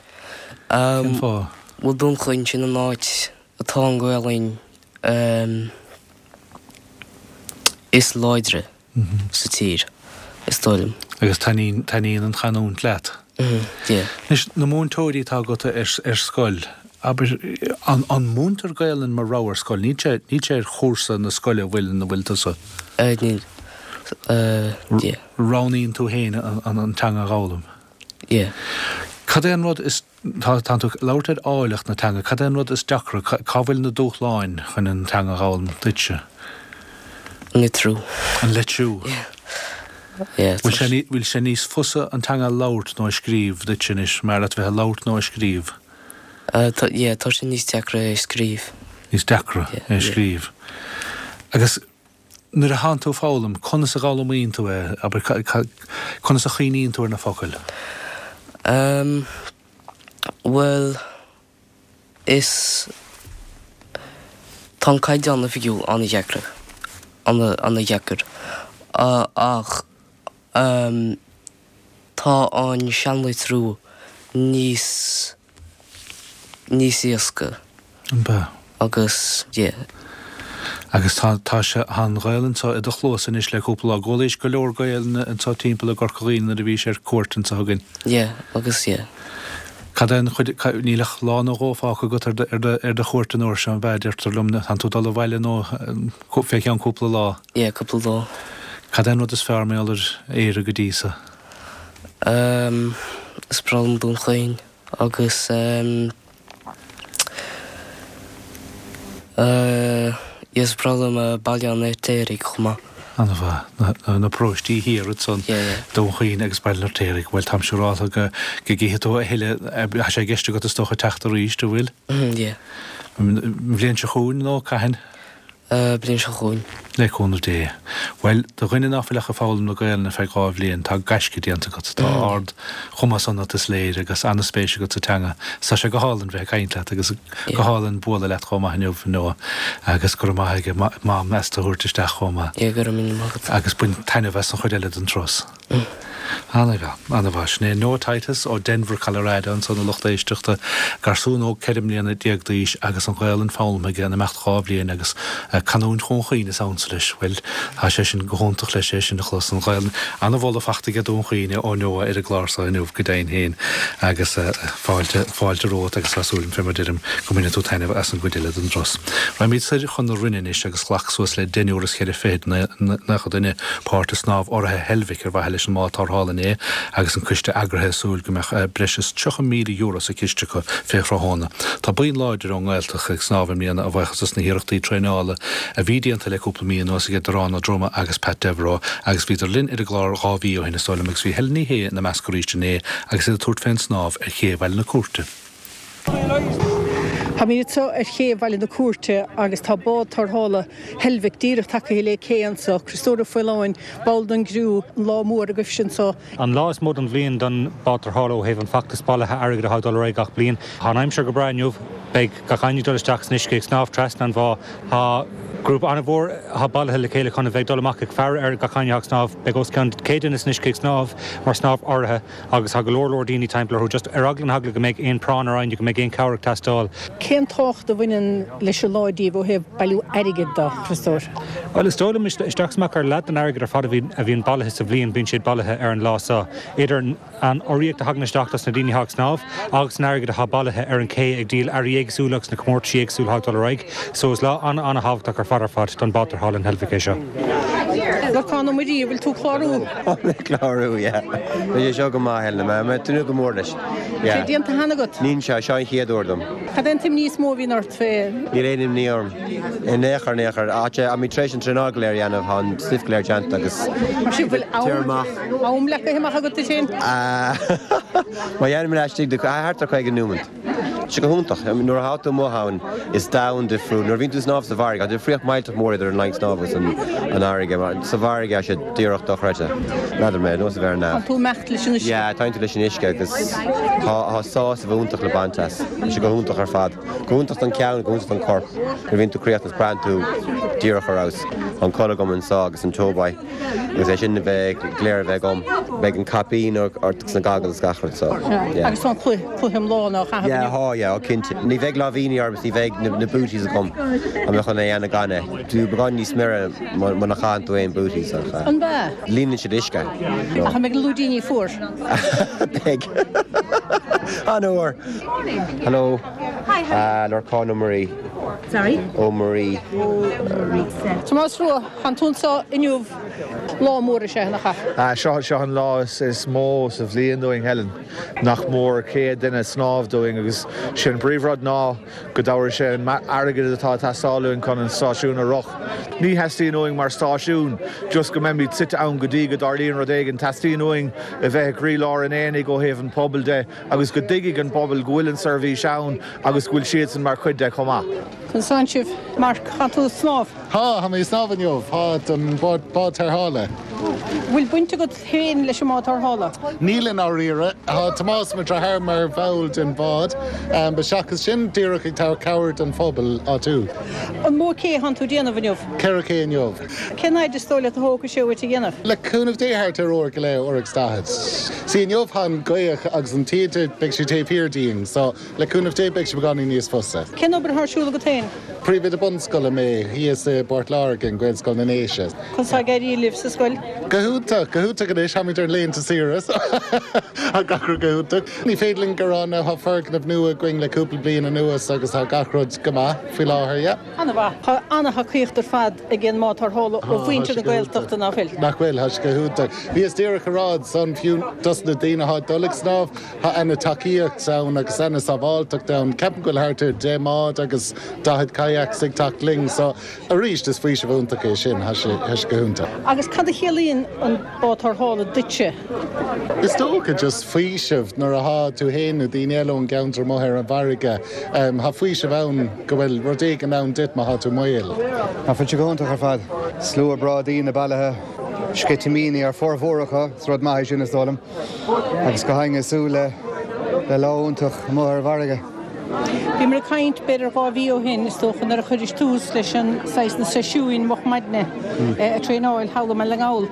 Cén fáth? Bhuel Dún Chaoin, sin an áit atá an Ghaelainn is láidre sa tír, is dóigh liom. Agus taitníonn, taitníonn an chanúint leat? Yeah. Anois, na múinteoirí atá agat ar, ar scoil, abair, an, an múintear Gaelainn mar rogha ar scoil? Níl sé, níl sé ar chúrsa na scoile, an bhfuil, ina bhfuil tusa? Eh, níl. Eh, yeah. Roghnaíonn tú féin an, an, an teanga a dh'fhoghlaim? Yeah. Cad é an rud is, tá, tánn tú ag labhairt ar áilleacht na teanga, cad é an rud is deacra, cá, cá bhfuil na dúshláin chun an teanga a dh'fhoghlaim duitse? An litriú. An litriú. Yeah. Yeah, Bhfuil sé, bhfuil sé níos fusa an teanga a labhairt nó a scríobh duitse anois, mar leat bheith ag labhairt nó ag scríobh? Uh, tá, yeah, tá sé níos deacra é a scríobh. Níos deacra Yeah, é a yeah. scríobh. Agus nuair a thánn tú ag foghlaim, conas a dh'fhoghlaimíonn tú é? Abair, ca, ca, conas a chuimhníonn tú ar na focail? Um, bhuel, is tá an Caighdeán Oifigiúil an-deacair, an-deacair, ach tá an seanlitriú níos níos éasca. An b'ea? Agus, yeah. Agus tá, tá sé, tá an Ghaelainn anseo i do chluasa anois le cúpla lá. D'fhoghlaís go leor Gaelainne anseo timpeall i gCorca Dhuibhne nuair a bhís ar cuairt anseo chugainn. Yeah, agus yeah. Cad é an chuid, níl ach lá nó dhó fágtha agat ar do, ar do, ar do chuairt an uair seo, an b'ea? Deirtear liom, tánn tú ag dul abhaile nó fé cheann cúpla lá. Yeah, cúpla lá. Cad é an rud is fearr mar gheall ar Éire go dtí so? Ehm, is breá liom Dún Chaoin agus ehm, eh, is breá liom Baile an Fheirtéaraigh chomh maith. An-mhaith. Na, na, na paróistí thiar ansan, Yeah, yeah. Dún Chaoin agus Baile an Fheirtéaraigh. Bhuel, táim siúrálta go, go gcífidh tú a thuilleadh, tá sé i gceist agat is dócha teacht arís, an bhfuil? Mhm, yeah. An bhliain seo chugainn nó cathain? Bliain seo chugainn. Le cúnamh Dé. Bhuel, do dhuine ná fuil ach ag foghlaim na Gaelainne feadh dhá bhliain, tá gaisce déanta agat. Tá ard chumas ionat, is léir, agus an-spéis agat sa teanga. Tá sé go hálainn bheith ag caint leat agus go hálainn bualadh leat chomh maith inniu, a Noah. Agus go raibh maith ag Mam as tú a thabhairt isteach chomh maith. Yeah, go raibh míle maith agat. Agus bain taitneamh as an chuid eile den turas. An-mhaith, an-mhaith. Sin é Noah Titus ó Denver, Colorado, ansan a lucht éisteachta, garsún óg ceithre mbliana déag d'aois agus an Ghaelainn foghlamtha aige in imeacht dhá bhliain agus canúint Dhún Chaoin is ansa leis. Bhuel, tá sé sin go hiontach leis é sin a chlos, an Ghaelainn. An-mholadh fachta aige Dún Chaoin ó Noah ar an gclár so inniu, go deimhin féin. Agus fáilte, fáilte romhat agus tá súil agam, fé mar deirim, go mbainfidh tú taitneamh as an gcuid eile den dturas. Raghaimid soir chun na Rinne anois agus ghlac suas le deichniúr is ceithre fichid naocha duine páirt i snámh urraithe Heilbhic ar mhaithe leis an mbád tarrthála thall inné agus an coiste eagraithe ag súil go mbeadh breis is tríocha míle euro sa chiste acu fé thráthnóna. Tá buíon láidir ón nGaeltacht ag snámh i mbliana a bhuíochas dos na hiarrachtaí traenála a bhí déanta le cúpla mí anuas ag Darán Ó Droma agus Pat Devereux agus bhíodar linn ar an gclár dhá mhí ó shin is dóigh liom agus bhí Helen Ní Shé ina measc arís inné agus iad ag tabhairt fén snámh ar ché Bhaile na Cúirte. Táimid anseo ar ché Bhaile na Cúirte agus tá bád tarrthála Heilbhic díreach tagtha le cé anseo, Criostóir Ó Faoláin, ball den gcriú, an lá mór agaibhse anseo. An lá is mó den bhliain don bád tarrthála ó thaobh an feachtas bailithe airgid atá ag dul ar aghaidh gach bliain. Tá an aimsir go breá inniu, beidh gach éinne ag dul isteach san uisce ag snámh trasna an bhá. Tá grúpa an-mhór atá bailithe le chéile chun a bheith ag dul amach ag faire ar gach éinne atá ag snámh. Beidh os cionn céad duine san uisce ag snámh mar snámh urraithe agus tá go leor leor daoine timpeall orthu just ar eagla na heagla go mbeidh aon práinn ar éinne, go mbeidh aon cabhair ag teastáil. Cén tábhacht a bhaineann leis an lá daoibh ó thaobh bailiú airgid de, a Chriostóir? Bhuel, is dóigh liom isteach is amach ar leath den airgead ar fad a bhíonn bailithe sa bhliain, bíonn siad bailithe ar an lá seo. Idir an urraíocht a thagann isteach dos na daoine atá ag snámh agus an airgead atá bailithe ar an ché ag díol earraí éagsúla agus na comórtaisí éagsúla atá ag dul ar aghaidh. So is lá an-an-thábhachtach ar fad ar fad don bád tarrthála in Heilbhic é seo. Lorcán Ó Muirí, bhfuil tú ag clárú? Tá mé ag clárú, yeah. Tá sé seo go maith, Helen, tá mé ag tnúth go mór leis. Yeah. Sé déanta cheana agat? Níl seo, seo an chéad uair dom. Cad é an t-imní is mó a bhíonn ort fé? Níl aon imní orm. In aon chor, in aon chor. Tá mé tar éis an traenáil go léir a dhéanamh, tá an stuif go léir déanta agus Mar sin bhfuil téir amach. am leagtha amach agat duit féin? Má dhéanaim laistigh de thart ar caoga nóiméad. Tá sé go hiontach. Nuair atá tú amuigh ann, is domhan difriúil. Nuair a bhíonn tú ag snámh sa bhfarraige, tá difríocht millteach mór idir an line snámh agus an fharraige. Sa bhfarraige, tá sé díreach dochreidte. N'fheadar mé, nós a bheith ar neamh. Tá tú ag imeacht leis an uisce. Yeah, tá tú leis an uisce agus tá sásamh iontach le baint as. Tá sé go hiontach ar fad. Go hiontach don cheann, go hiontach don chorp. Nuair a bhíonn tú críochnaithe, braitheann tú díreach ar fheabhas. Tá an culaith agam anseo agus an tobai. Agus é sin a bheith go léir a bheith agam. Beidh an caipín ort agus na goggles gach rud so. Yeah. Agus tá an chulaith chulaith iomlán á chaitheamh Yeah, tá, yeah, ó cinnte. Ní bheidh láimhíní orm is ní bheidh na, na booties agam. Tá mé chun é a dhéanamh gan é. Tú beagán níos mire muna chaitheann tú aon booties ach. An bea? Líonann siad uisce. No. Ach an mbeidh na lúidíní fuar? Beidh. An-fhuar. Hello. Hi, how are you? Lorcán Ó Muirí. Sorry? Ó Muirí. Tomás Rua, tánn tú anseo inniu, lá mór is ea, nach ea? Seo seo an lá is mó sa bhliain dúinn, Helen. Nach mór céad duine ag snámh dúinn agus sin an príomhrud ná go dtabharfaidh sé an airgead atá ag teastáil uainn chun an stáisiún a rith. Ní theastaíonn uainn mar stáisiún just go mbeimid suite ann go dtí go dtarlaíonn rud éigin. Teastaíonn uainn a bheith i gcroílár an aonaigh ó thaobh an pobail de agus go dtuigfidh an pobal go bhfuil an seirbhís ann agus go bhfuil siadsan mar chuid de chomh maith. Conas tánn sibh? Mark, tánn tú ag snámh? Tá, tá mé ag snámh inniu. Tá, don bád tarrthála. Bhfuil baint agat féin leis an mbád tarrthála? Níl i ndáiríre. Tá Tomás, mo dheartháir, mar bhall den bhád. But seachas sin, díreach ag tabhairt cabhair don phobal áitiúil. An mó cé atánn tú ag déanamh inniu? Ceithre ché inniu. Cén fhaid is dóigh leat a thógfaidh sé uait a dhéanamh? Le cúnamh Dé thart ar uair go leith, uair agus daichead. See inniu tá an ghaoth agus an taoide, beidh sé taobh thiar dínn, so le cúnamh Dé beidh sé beagáinín níos fusa. Cén obair atá ar siúl agat féin? Príomhoide bunscoile mé thíos i bPort Láirge, in Gaelscoil na nDéise. Conas tá ag éirí libh sa scoil? Go hiontach, go hiontach anois, táimid ar laethanta saoire so tá gach rud go hiontach. Ní féidir linn gearán now, tá foirgneamh nua againn le cúpla bliain anuas agus tá gach rud go maith faoi láthair, yeah. An-mhaith. Tá an-thacaíocht ar fad ag an mbád tarrthála ó mhuintir na Gaeltachta, nach bhfuil? Nach bhfuil, tá sé go hiontach. Bhíos díreach ag rá ansan, fiú dos na daoine atá ag dul ag snámh, tá ana-tacaíocht ann agus ana-sábháilteacht ann. Ceapaim go bhfuil thart ar deich mbád agus daichead kayaks ag teacht linn so arís is faoiseamh iontach é sin, tá sé, tá sé go hiontach. Agus cad a chiallaíonn an bád tarrthála duitse? Is dócha just faoiseamh nuair atá tú fhéin nó daoine eile ón gceantar amuigh ar an bhfarraige, tá faoiseamh ann go bhfuil rud éigin ann duit má tá tú i mbaol. Tá sé go hiontach ar fad. Slua breá daoine bailithe, sceitimíní ar formhór acu, is rud maith é sin is dóigh liom. Agus gach éinne ag súil le le lá iontach amuigh ar an bhfarraige. Bhíomar ag caint b'fhéidir dhá mhí ó shin, is dócha, nuair a chuiris tús leis an saghas na seisiúin moch maidne ag traenáil thall i mBaile na nGall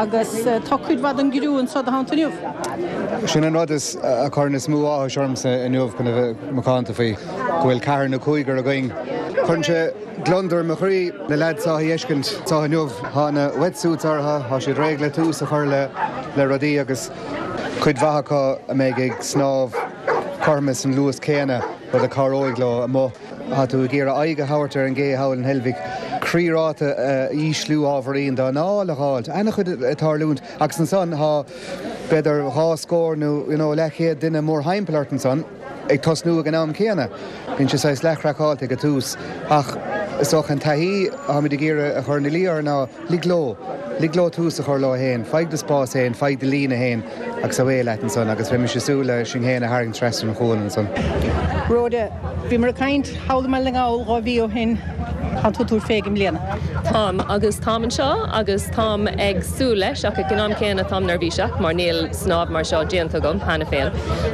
agus tá cuid mhaith den gcriú anseo do theannta inniu. Sin an rud is a chuireann is mó áthais ormsa inniu chun a bheith macánta faoi, go bhfuil ceathrar nó cúigear againn. Cuireann sé gliondar i mo chroí na leaids seo a fheiscint anseo inniu. Tá na wetsuits orthu, tá siad réidh le tús a chur le le rudaí agus cuid mhaith acu a mbeidh ag snámh cothrom leis an luas céanna, rud a chabhróidh leo amuigh. Tá tú ag iarraidh aghaidh a thabhairt ar an gcé thall in Heilbhic, croíráta a ísliú ábhairín, d'anáil a fháilt, an-chuid ag tarlúint agus ansan tá b'fhéidir dhá scór nó you know, leathchéad duine mórthimpeall ort ansan ag tosnú ag an am céanna. Bíonn sé saghas leathchraiceáilte ag an tús ach is dócha an taithí atáimid ag iarraidh a chur ina luí orthu ná lig leo, lig leo tús a chur leo féin, faigh do spás féin, faigh do líne féin agus away leat ansan agus bheimis ag súil le sinn féin a tharraingt trasna an chualann ansan. Rhoda, bhíomar ag caint thall i mBaile na nGall dhá mhí ó shin, tá tú ag tabhairt fé i mbliana. Táim agus táim anseo agus táim ag súil leis ach ag an am céanna táim neirbhíseach mar níl snámh mar seo déanta agam cheana féin.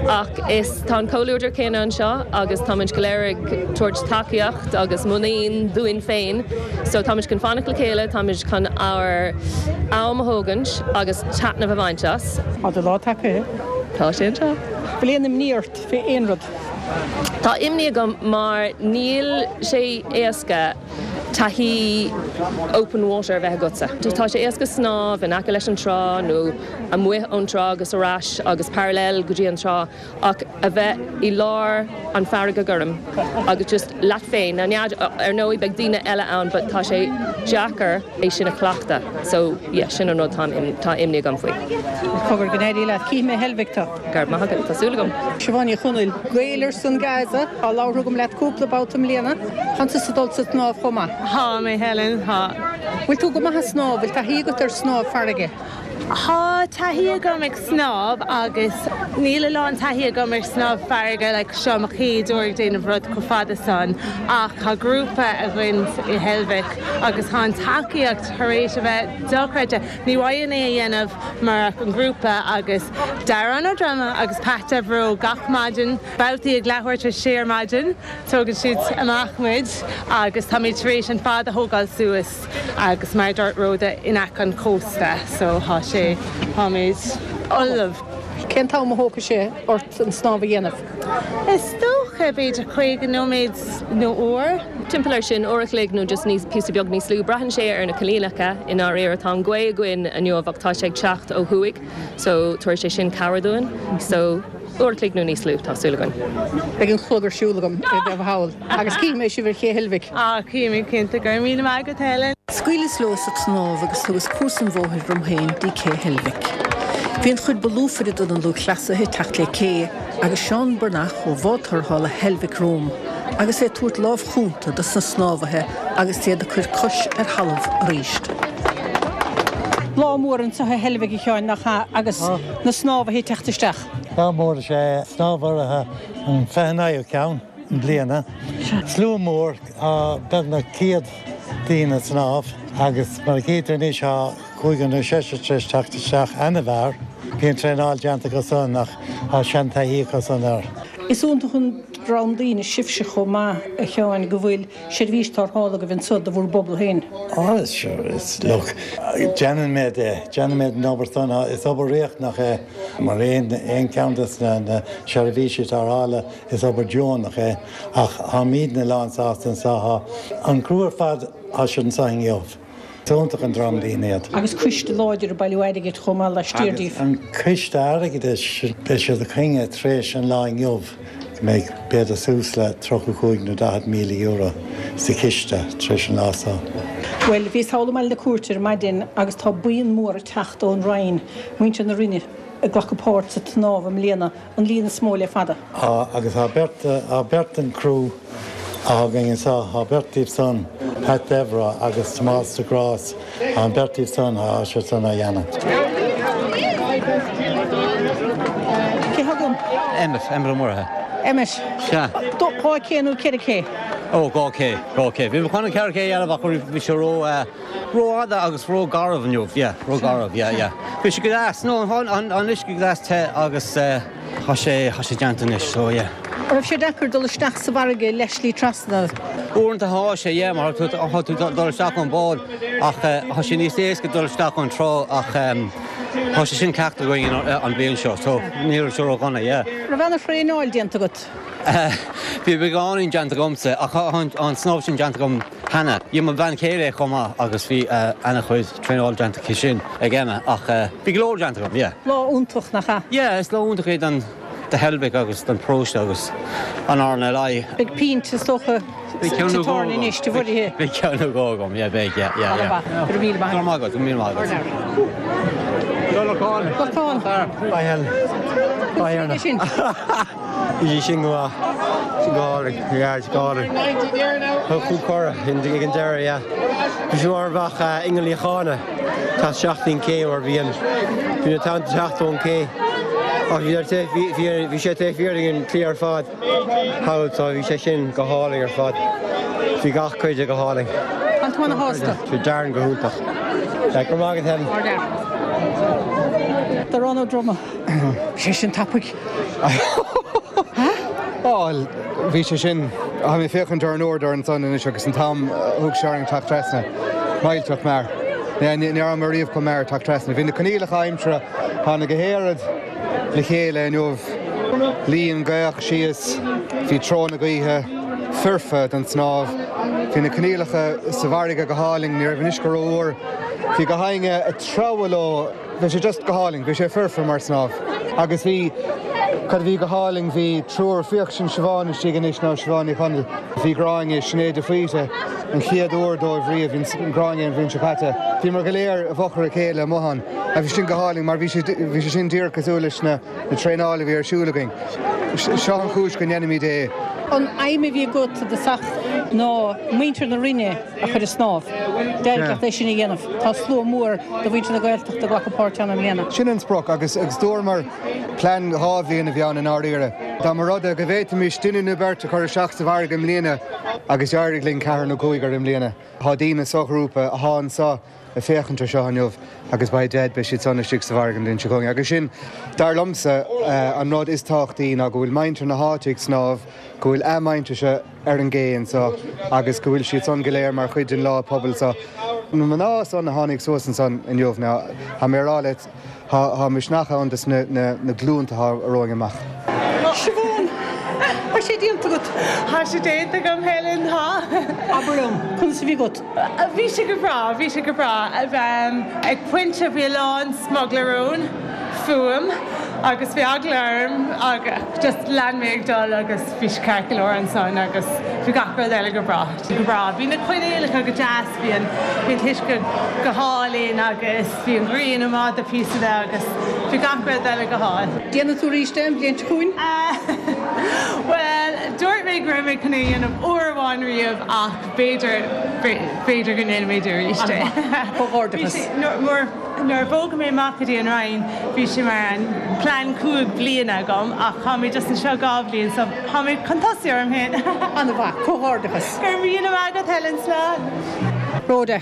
Ach is tá an comhluadar céanna anseo agus táimid go léir ag tabhairt tacaíocht agus muinín dúinn féin. So táimid chun fanacht le chéile, táimid chun ár am a thógaint agus taitneamh a bhaint as. Tá do lá tagtha. Tá sé anseo. Bhfuil aon imní ort fé aon rud? Tá imní agam mar níl sé éasca taithí open water a bheith agatsa. Tá sé éasca snámh in aice leis an trá nó amuigh ón trá agus ar ais agus parallel go dtí an trá ach a bheith i lár an farraige gorm agus just leat féin na nead ar ndóigh beidh daoine eile ann, but tá sé deacair é sin a chleachtadh. So yeah, sin an rud tá tá imní agam faoi. Cogar go n-éirí leat cífidh mé i Heilbhic tú. Go raibh maith agat tá súil agam. Siobhán Ní Chonaill, Gael ar son Gaza á labhartha agam leat cúpla babhta i mbliana, Tá tusa ag dul sa tsnámh chomh maith. Tá mé Helen tá. Bhfuil tú go maith ag snámh, bhfuil taithí agat ar snámh farraige. Tá taithí agam ag snámh agus níl a lán taithí agam ar snámh farraige le seo mo chéad uair ag déanamh rud chomh fada san ach tá grúpa againn i Heilbhic agus tá an tacaíocht tar éis a bheith dochreidte. Ní bhféadfainn é a dhéanamh murach an grúpa agus Darren Ó Droma agus Pat Devereux gach maidin, babhtaí ag leathuair tar éis sé ar maidin, tógann siad amach muid agus táimid tar éis an fad a thógáil suas agus mar dúirt Rhoda in aice an chósta so tá sé táimid ullamh. Cén t-am a thógfaidh sé ort an snámh a dhéanamh? Is dócha b'fhéidir caoga nóiméad nó uair. Timpeall ar sin uair a chloig nó just níos píosa beag níos lú braitheann sé ar na coinníollacha i ndáiríre tá an ghaoth againn inniu ach tá sé ag teacht ó thuaidh, so tabharfaidh sé sin cabhair dúinn, so uair a chloig nó níos lú tá súil againn. Beidh an clog ar siúl agam i bheith thall agus cífidh mé sibh ar ché Heilbhic. Á cífimid cinnte go raibh míle maith agat Helen. Scaoileas leo sa tsnámh agus thugas cuas an bhóthair romham féin dtí cé Heilbhic. Bhí an chuid ba lúfaire de na lúthchleasaithe ag teacht le cé agus Seán Burnach ó bhád tarrthála Heilbhic romham agus é ag tabhairt lámh chúnta dos na snámhaithe agus iad ag cur cois ar thalamh arís. Lá mór anseo i Heilbhic a Sheáin nach ea agus na snámhaithe ag teacht isteach. Lá mór is ea snámh urraithe an fiche naoú ceann i mbliana. Slua mór, tá beagnach céad daoine ag snámh agus mar a chítear anois tá cúigear nó seisear tar éis teacht isteach ana-mhear. Bíonn traenáil déanta acu san ach tá seantaithí acu san air. Is iontach an dream daoine sibhse chomh maith a Sheáin go bhfuil seirbhís tarrthála agaibh anseo do bhur bpobal féin. Á is sure is look déanaimid é déanaimid an obair san is obair riachtanach é mar aon aon ceann de na seirbhísí tarrthála is obair deonach é ach táimidne lánsásta anseo tá an criú ar fad tá siad anseo inniu. Is iontach an dream daoine iad. Agus coiste láidir ag bailiú airgid chomh maith laistiar Agus díobh. an coiste airgeadais beidh siad ag coinne tar éis an lá inniu go mbeidh b'fhéidir suas le tríocha cúig nó daichead míle euro sa chiste tar éis an lá seo. Bhuel, bhíos thall i mBaile na Cúirte ar maidin agus tá buíon mór ag teacht ón Rinn, muintir na Rinne ag glacadh páirt sa tsnámh i mbliana, an líon is mó le fada. Á agus tá beirt tá beirt den criú againn anseo, tá beirt díobh san Pat Devereux agus Tomás de Grás, tá an beirt díobh san tá siad san á dhéanamh. Cé thá agam? Emmet, Emmet Ó Murchadha. Emmet. Sea. Dhá ché nó ceithre ché? Ó dhá ché, dhá ché. Bhí mé chun an ceithre ché a dhéanamh ach bhí sé ró rófhada agus rógharbh inniu, yeah, rógharbh, yeah, yeah. Bhí sé go deas, no, an an an uisce go deas te agus tá sé tá sé déanta anois, so yeah. An raibh sé deacair dul isteach sa bhfarraige leathshlí trasna? Uaireanta tá sé, yeah, mar tá tú dul isteach ón bád ach tá sé níos éasca dul isteach ón trá ach tá sé sin cleachta againn an bhliain seo, so ní raibh sé ródhona, yeah. Raibh ana-thraenáil déanta agat? Bhí beagáinín déanta agamsa ach tá an snámh sin déanta agam cheana. Dhein mo bhean chéile é chomh maith agus bhí ana-chuid traenáil déanta aici sin ag Emma ach bhí go leor déanta agam, yeah. Lá iontach, nach ea? Yeah, is lá iontach é don do Heilbhic agus don pharóiste agus an RNLI. Beidh pint is dócha sa tábhairne anois de bhreithe. Beidh ceann nó dhó agam, yeah, beidh, yeah, yeah, yeah. Go raibh míle maith agat. Go raibh maith agat, go raibh míle maith agat. Lorcán. Lorcán. Hi Helen. Hi Erna. Sin. Bhí sin go sin go hálainn, yeah, go hálainn. Cúl cora ag an deireadh, yeah. Bhí sé mar bheadh ingeal Uí Chána tá seachtain cé mar bhí an bhí na tonnta ag teacht ón cé. Ach bhí bhí sé taobh thiar den chlaí ar fad thall so bhí sé sin go hálainn ar fad. Bhí gach cuid de go hálainn. An tú ana-shásta? Bhí Darren go hiontach. Go raibh maith agat Helen. Darán Ó Droma. Sé sin tapaidh. Á, bhí sé sin, tá mé ag féachaint ar an uaireadóir ansan anois agus an t-am a thug sé orainn teacht trasna. Millteach mear. Ní raibh mé riamh chomh mear teacht trasna. Bhí na coinníollacha aimsire, tháinig go héiread le chéile inniu. Luigh an ghaoth síos, bhí treo na gaoithe foirfe don snámh. Bhí na coinníollacha sa bhfarraige go hálainn, ní raibh an uisce rófhuar. Bhí gach éinne ag treabhadh leo, bhí sé just go hálainn, bhí sé foirfe mar snámh. Agus bhí, cad a bhí go hálainn, bhí triúr, féach sin Siobhán istigh anois nó Siobhán Ní Chonaill, bhí Gráinne, Sinéad de Faoite, an chéad uair dóibh riamh, bhí Gráinne an bhliain seo caite. Bhíomar go léir i bhfochair a chéile amuigh ann. Agus bhí sin go hálainn mar bhí sé, bhí sé sin díreach cosúil leis na, na traenáil a bhí ar siúl againn. Seo an chúis go ndéanaimid é. An aidhm a bhí agat i dtosach ná muintir na Rinne a chur ag snámh. D'éirigh leat é sin a dhéanamh. Tá slua mór de mhuintir na Gaeltachta ag glacadh páirt ann i mbliana. Sin an sprioc agus agus dúramar plean dhá bhliain a bhí ann i ndáiríre. Dá mba rud é go bhféadfaimis duine nó beirt a chur isteach sa bhfarraige i mbliana agus d'éirigh linn ceathrar nó cúigear i mbliana. Tá daoine sa ghrúpa atá anseo ag féachaint ar seo inniu agus by dead beidh siad san istigh sa bhfarraige an bhliain seo chugainn. Agus sin, dar liomsa, an rud is tábhachtaí ná go bhfuil muintir na háite ag snámh, go bhfuil a muintirse ar an gcé anseo agus go bhfuil siad san go léir mar chuid den lá pobail seo. Na mná san a tháinig suas ansan inniu, now, tá mé ag rá leat, tá misneach ann dos na glúnta atá romhainn amach. Siobhán, Tá sé déanta agat. Tá sé déanta agam, Helen, tá. Abair liom, conas a bhí agat? Bhí sé go breá, bhí sé go breá. Ag pointe bhí a lán smuglaróin fúm agus bhí eagla orm agus just lean mé ag dul agus bhí sé ceart go leor ansan agus bhí gach rud eile go breá. Go breá. Bhí na coinníollacha go deas, bhí an bhí an t-uisce go hálainn agus bhí an ghrian amach do phíosa de agus bhí gach rud eile go hálainn. Déanfaidh tú arís é an bhliain seo chugainn? Bhuel, dúirt mé go raibh mé chun é a dhéanamh uair amháin riamh ach b'fhéidir, b'fhéidir go ndéanfaidh mé arís é. Comhghairdeachas. Nuair a bhog mé amach go dtí an Rinn, bhí sé mar an plean cúig bliana agam ach tá mé just anseo dhá bhliain so tá mé chun tosaí orm féin. An-mhaith, comhghairdeachas. Go raibh míle maith agat Helen, slán. Rhoda.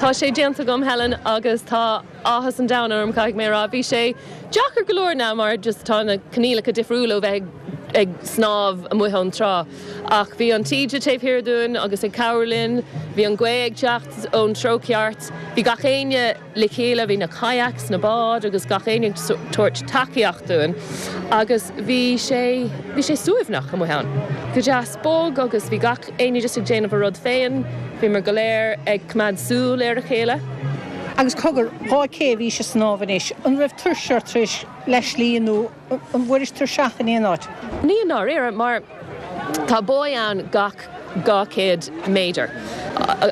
Tá sé déanta agam Helen agus tá áthas an domhain orm caithfidh mé a rá. Bhí sé deacair go leor now mar just tá na coinníollacha difriúil ó bheith ag snámh amuigh ón trá. Ach bhí an taoide taobh thiar dúinn agus ag cabhrú linn, bhí an ghaoth ag teacht ón treo ceart, bhí gach éinne le chéile, bhí na kayaks, na báid agus gach éinne ag tabhairt tacaíocht dúinn agus bhí sé, bhí sé suaimhneach amuigh ann. Go deas bog agus bhí gach éinne just ag déanamh a rud féin, bhíomar go léir ag coimeád súil ar a chéile. Agus cogar, dhá cé a bhís ag snámh anois, an raibh tuirse ort tar éis leath slí nó an bhfuairis tuirseach in aon áit? Ní i ndáiríre, mar tá buoy ann gach dhá chéad méadar.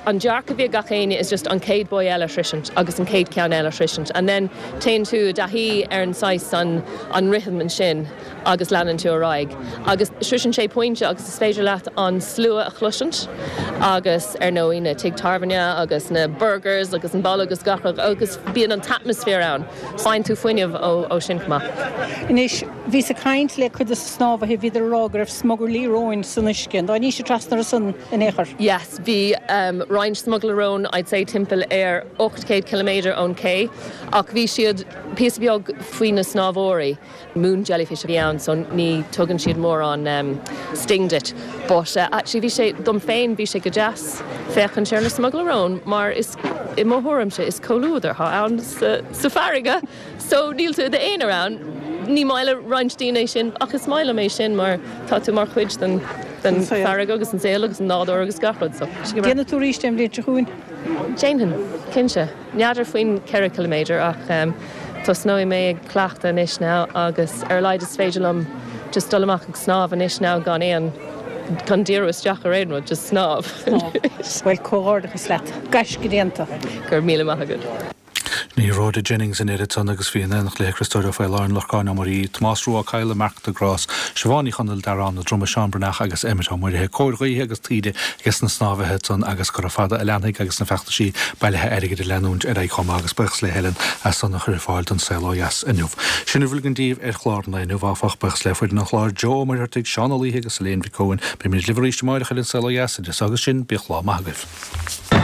An dearcadh a bhí ag gach éinne is just an chéad buoy eile a shroisint agus an chéad ceann eile a shroisint and then téann tú i dtaithí ar an saghas an an rithim ansin agus leanann tú ar aghaidh. Agus sroiseann sé pointe agus is féidir leat an slua a chloisint agus ar ndóigh na tigh tábhairne agus na burgers agus an baile agus gach rud agus bíonn an t-atmaisféar ann. Faigheann tú fuinneamh ó ó sin chomh maith. Anois, bhíos ag caint le cuid de na snámhaithe, bhíodar ag rá go raibh smugairlí róin san uisce. An dtáinís trasna ansan in aon chor? Yes, bhí um, roinnt smugairle róin, I'd say timpeall ar ocht gcéad ciliméadar ón cé, ach bhí siad píosa beag faoi na snámhóirí. Moon jellyfish a bhí ann, so ní tugann siad mórán um, sting duit. But uh, actually bhí sé dom féin bhí sé go deas féachaint ar na smugairle róin mar is i mo thuairimse is comhluadar atá ann sa, sa farraige, so níl tú i d'aonar ann. Ní maith le roinnt daoine é sin ach is maith liom é sin mar tá tú mar chuid den den farraige agus an saol agus an nádúr agus gach rud so. Déanfaidh tú arís é an bhliain seo chugainn? Déanfainn, cinnte. N'fheadar faoin ceithre ciliméadar ach um, tosnóidh mé ag cleachtadh anois now agus ar a laghad is féidir liom just dul amach ag snámh anois now gan aon gan díriú isteach ar aon rud, just snámh. Bhuel, comhghairdeachas leat. Gaisce déanta. Go raibh míle maith agat. Ní Rhoda Jennings in oiread san agus bhí in éineacht léi Criostóir Ó Faoláin, Lorcán Ó Muirí, Tomás Rua Ó Cadhla, Marc de Grás, Siobhán Ní Chonaill, Darán Ó Droma, Seán Breathnach agus Emmet Ó Muirithe. Cóir ghaoithe agus taoide ages na snámhaithe ansan agus gura fada a leanfaidh agus na feachtaisí bailithe airgid ag leanúint ar aghaidh chomh maith agus buíochas le Helen as san a chur ar fáil don Saol Ó Dheas inniu. Sin a bhfuil againn daoibh ar chlár an lae inniu, áfach, buíochas le foireann an chláir, Joe Ó Muircheartaigh, Seán Ó Laoithe agus Elaine Mhic Eoin. Beimid libh arís amárach ar an Saol Ó Dheas, idir so agus sin, bíodh lá maith agaibh.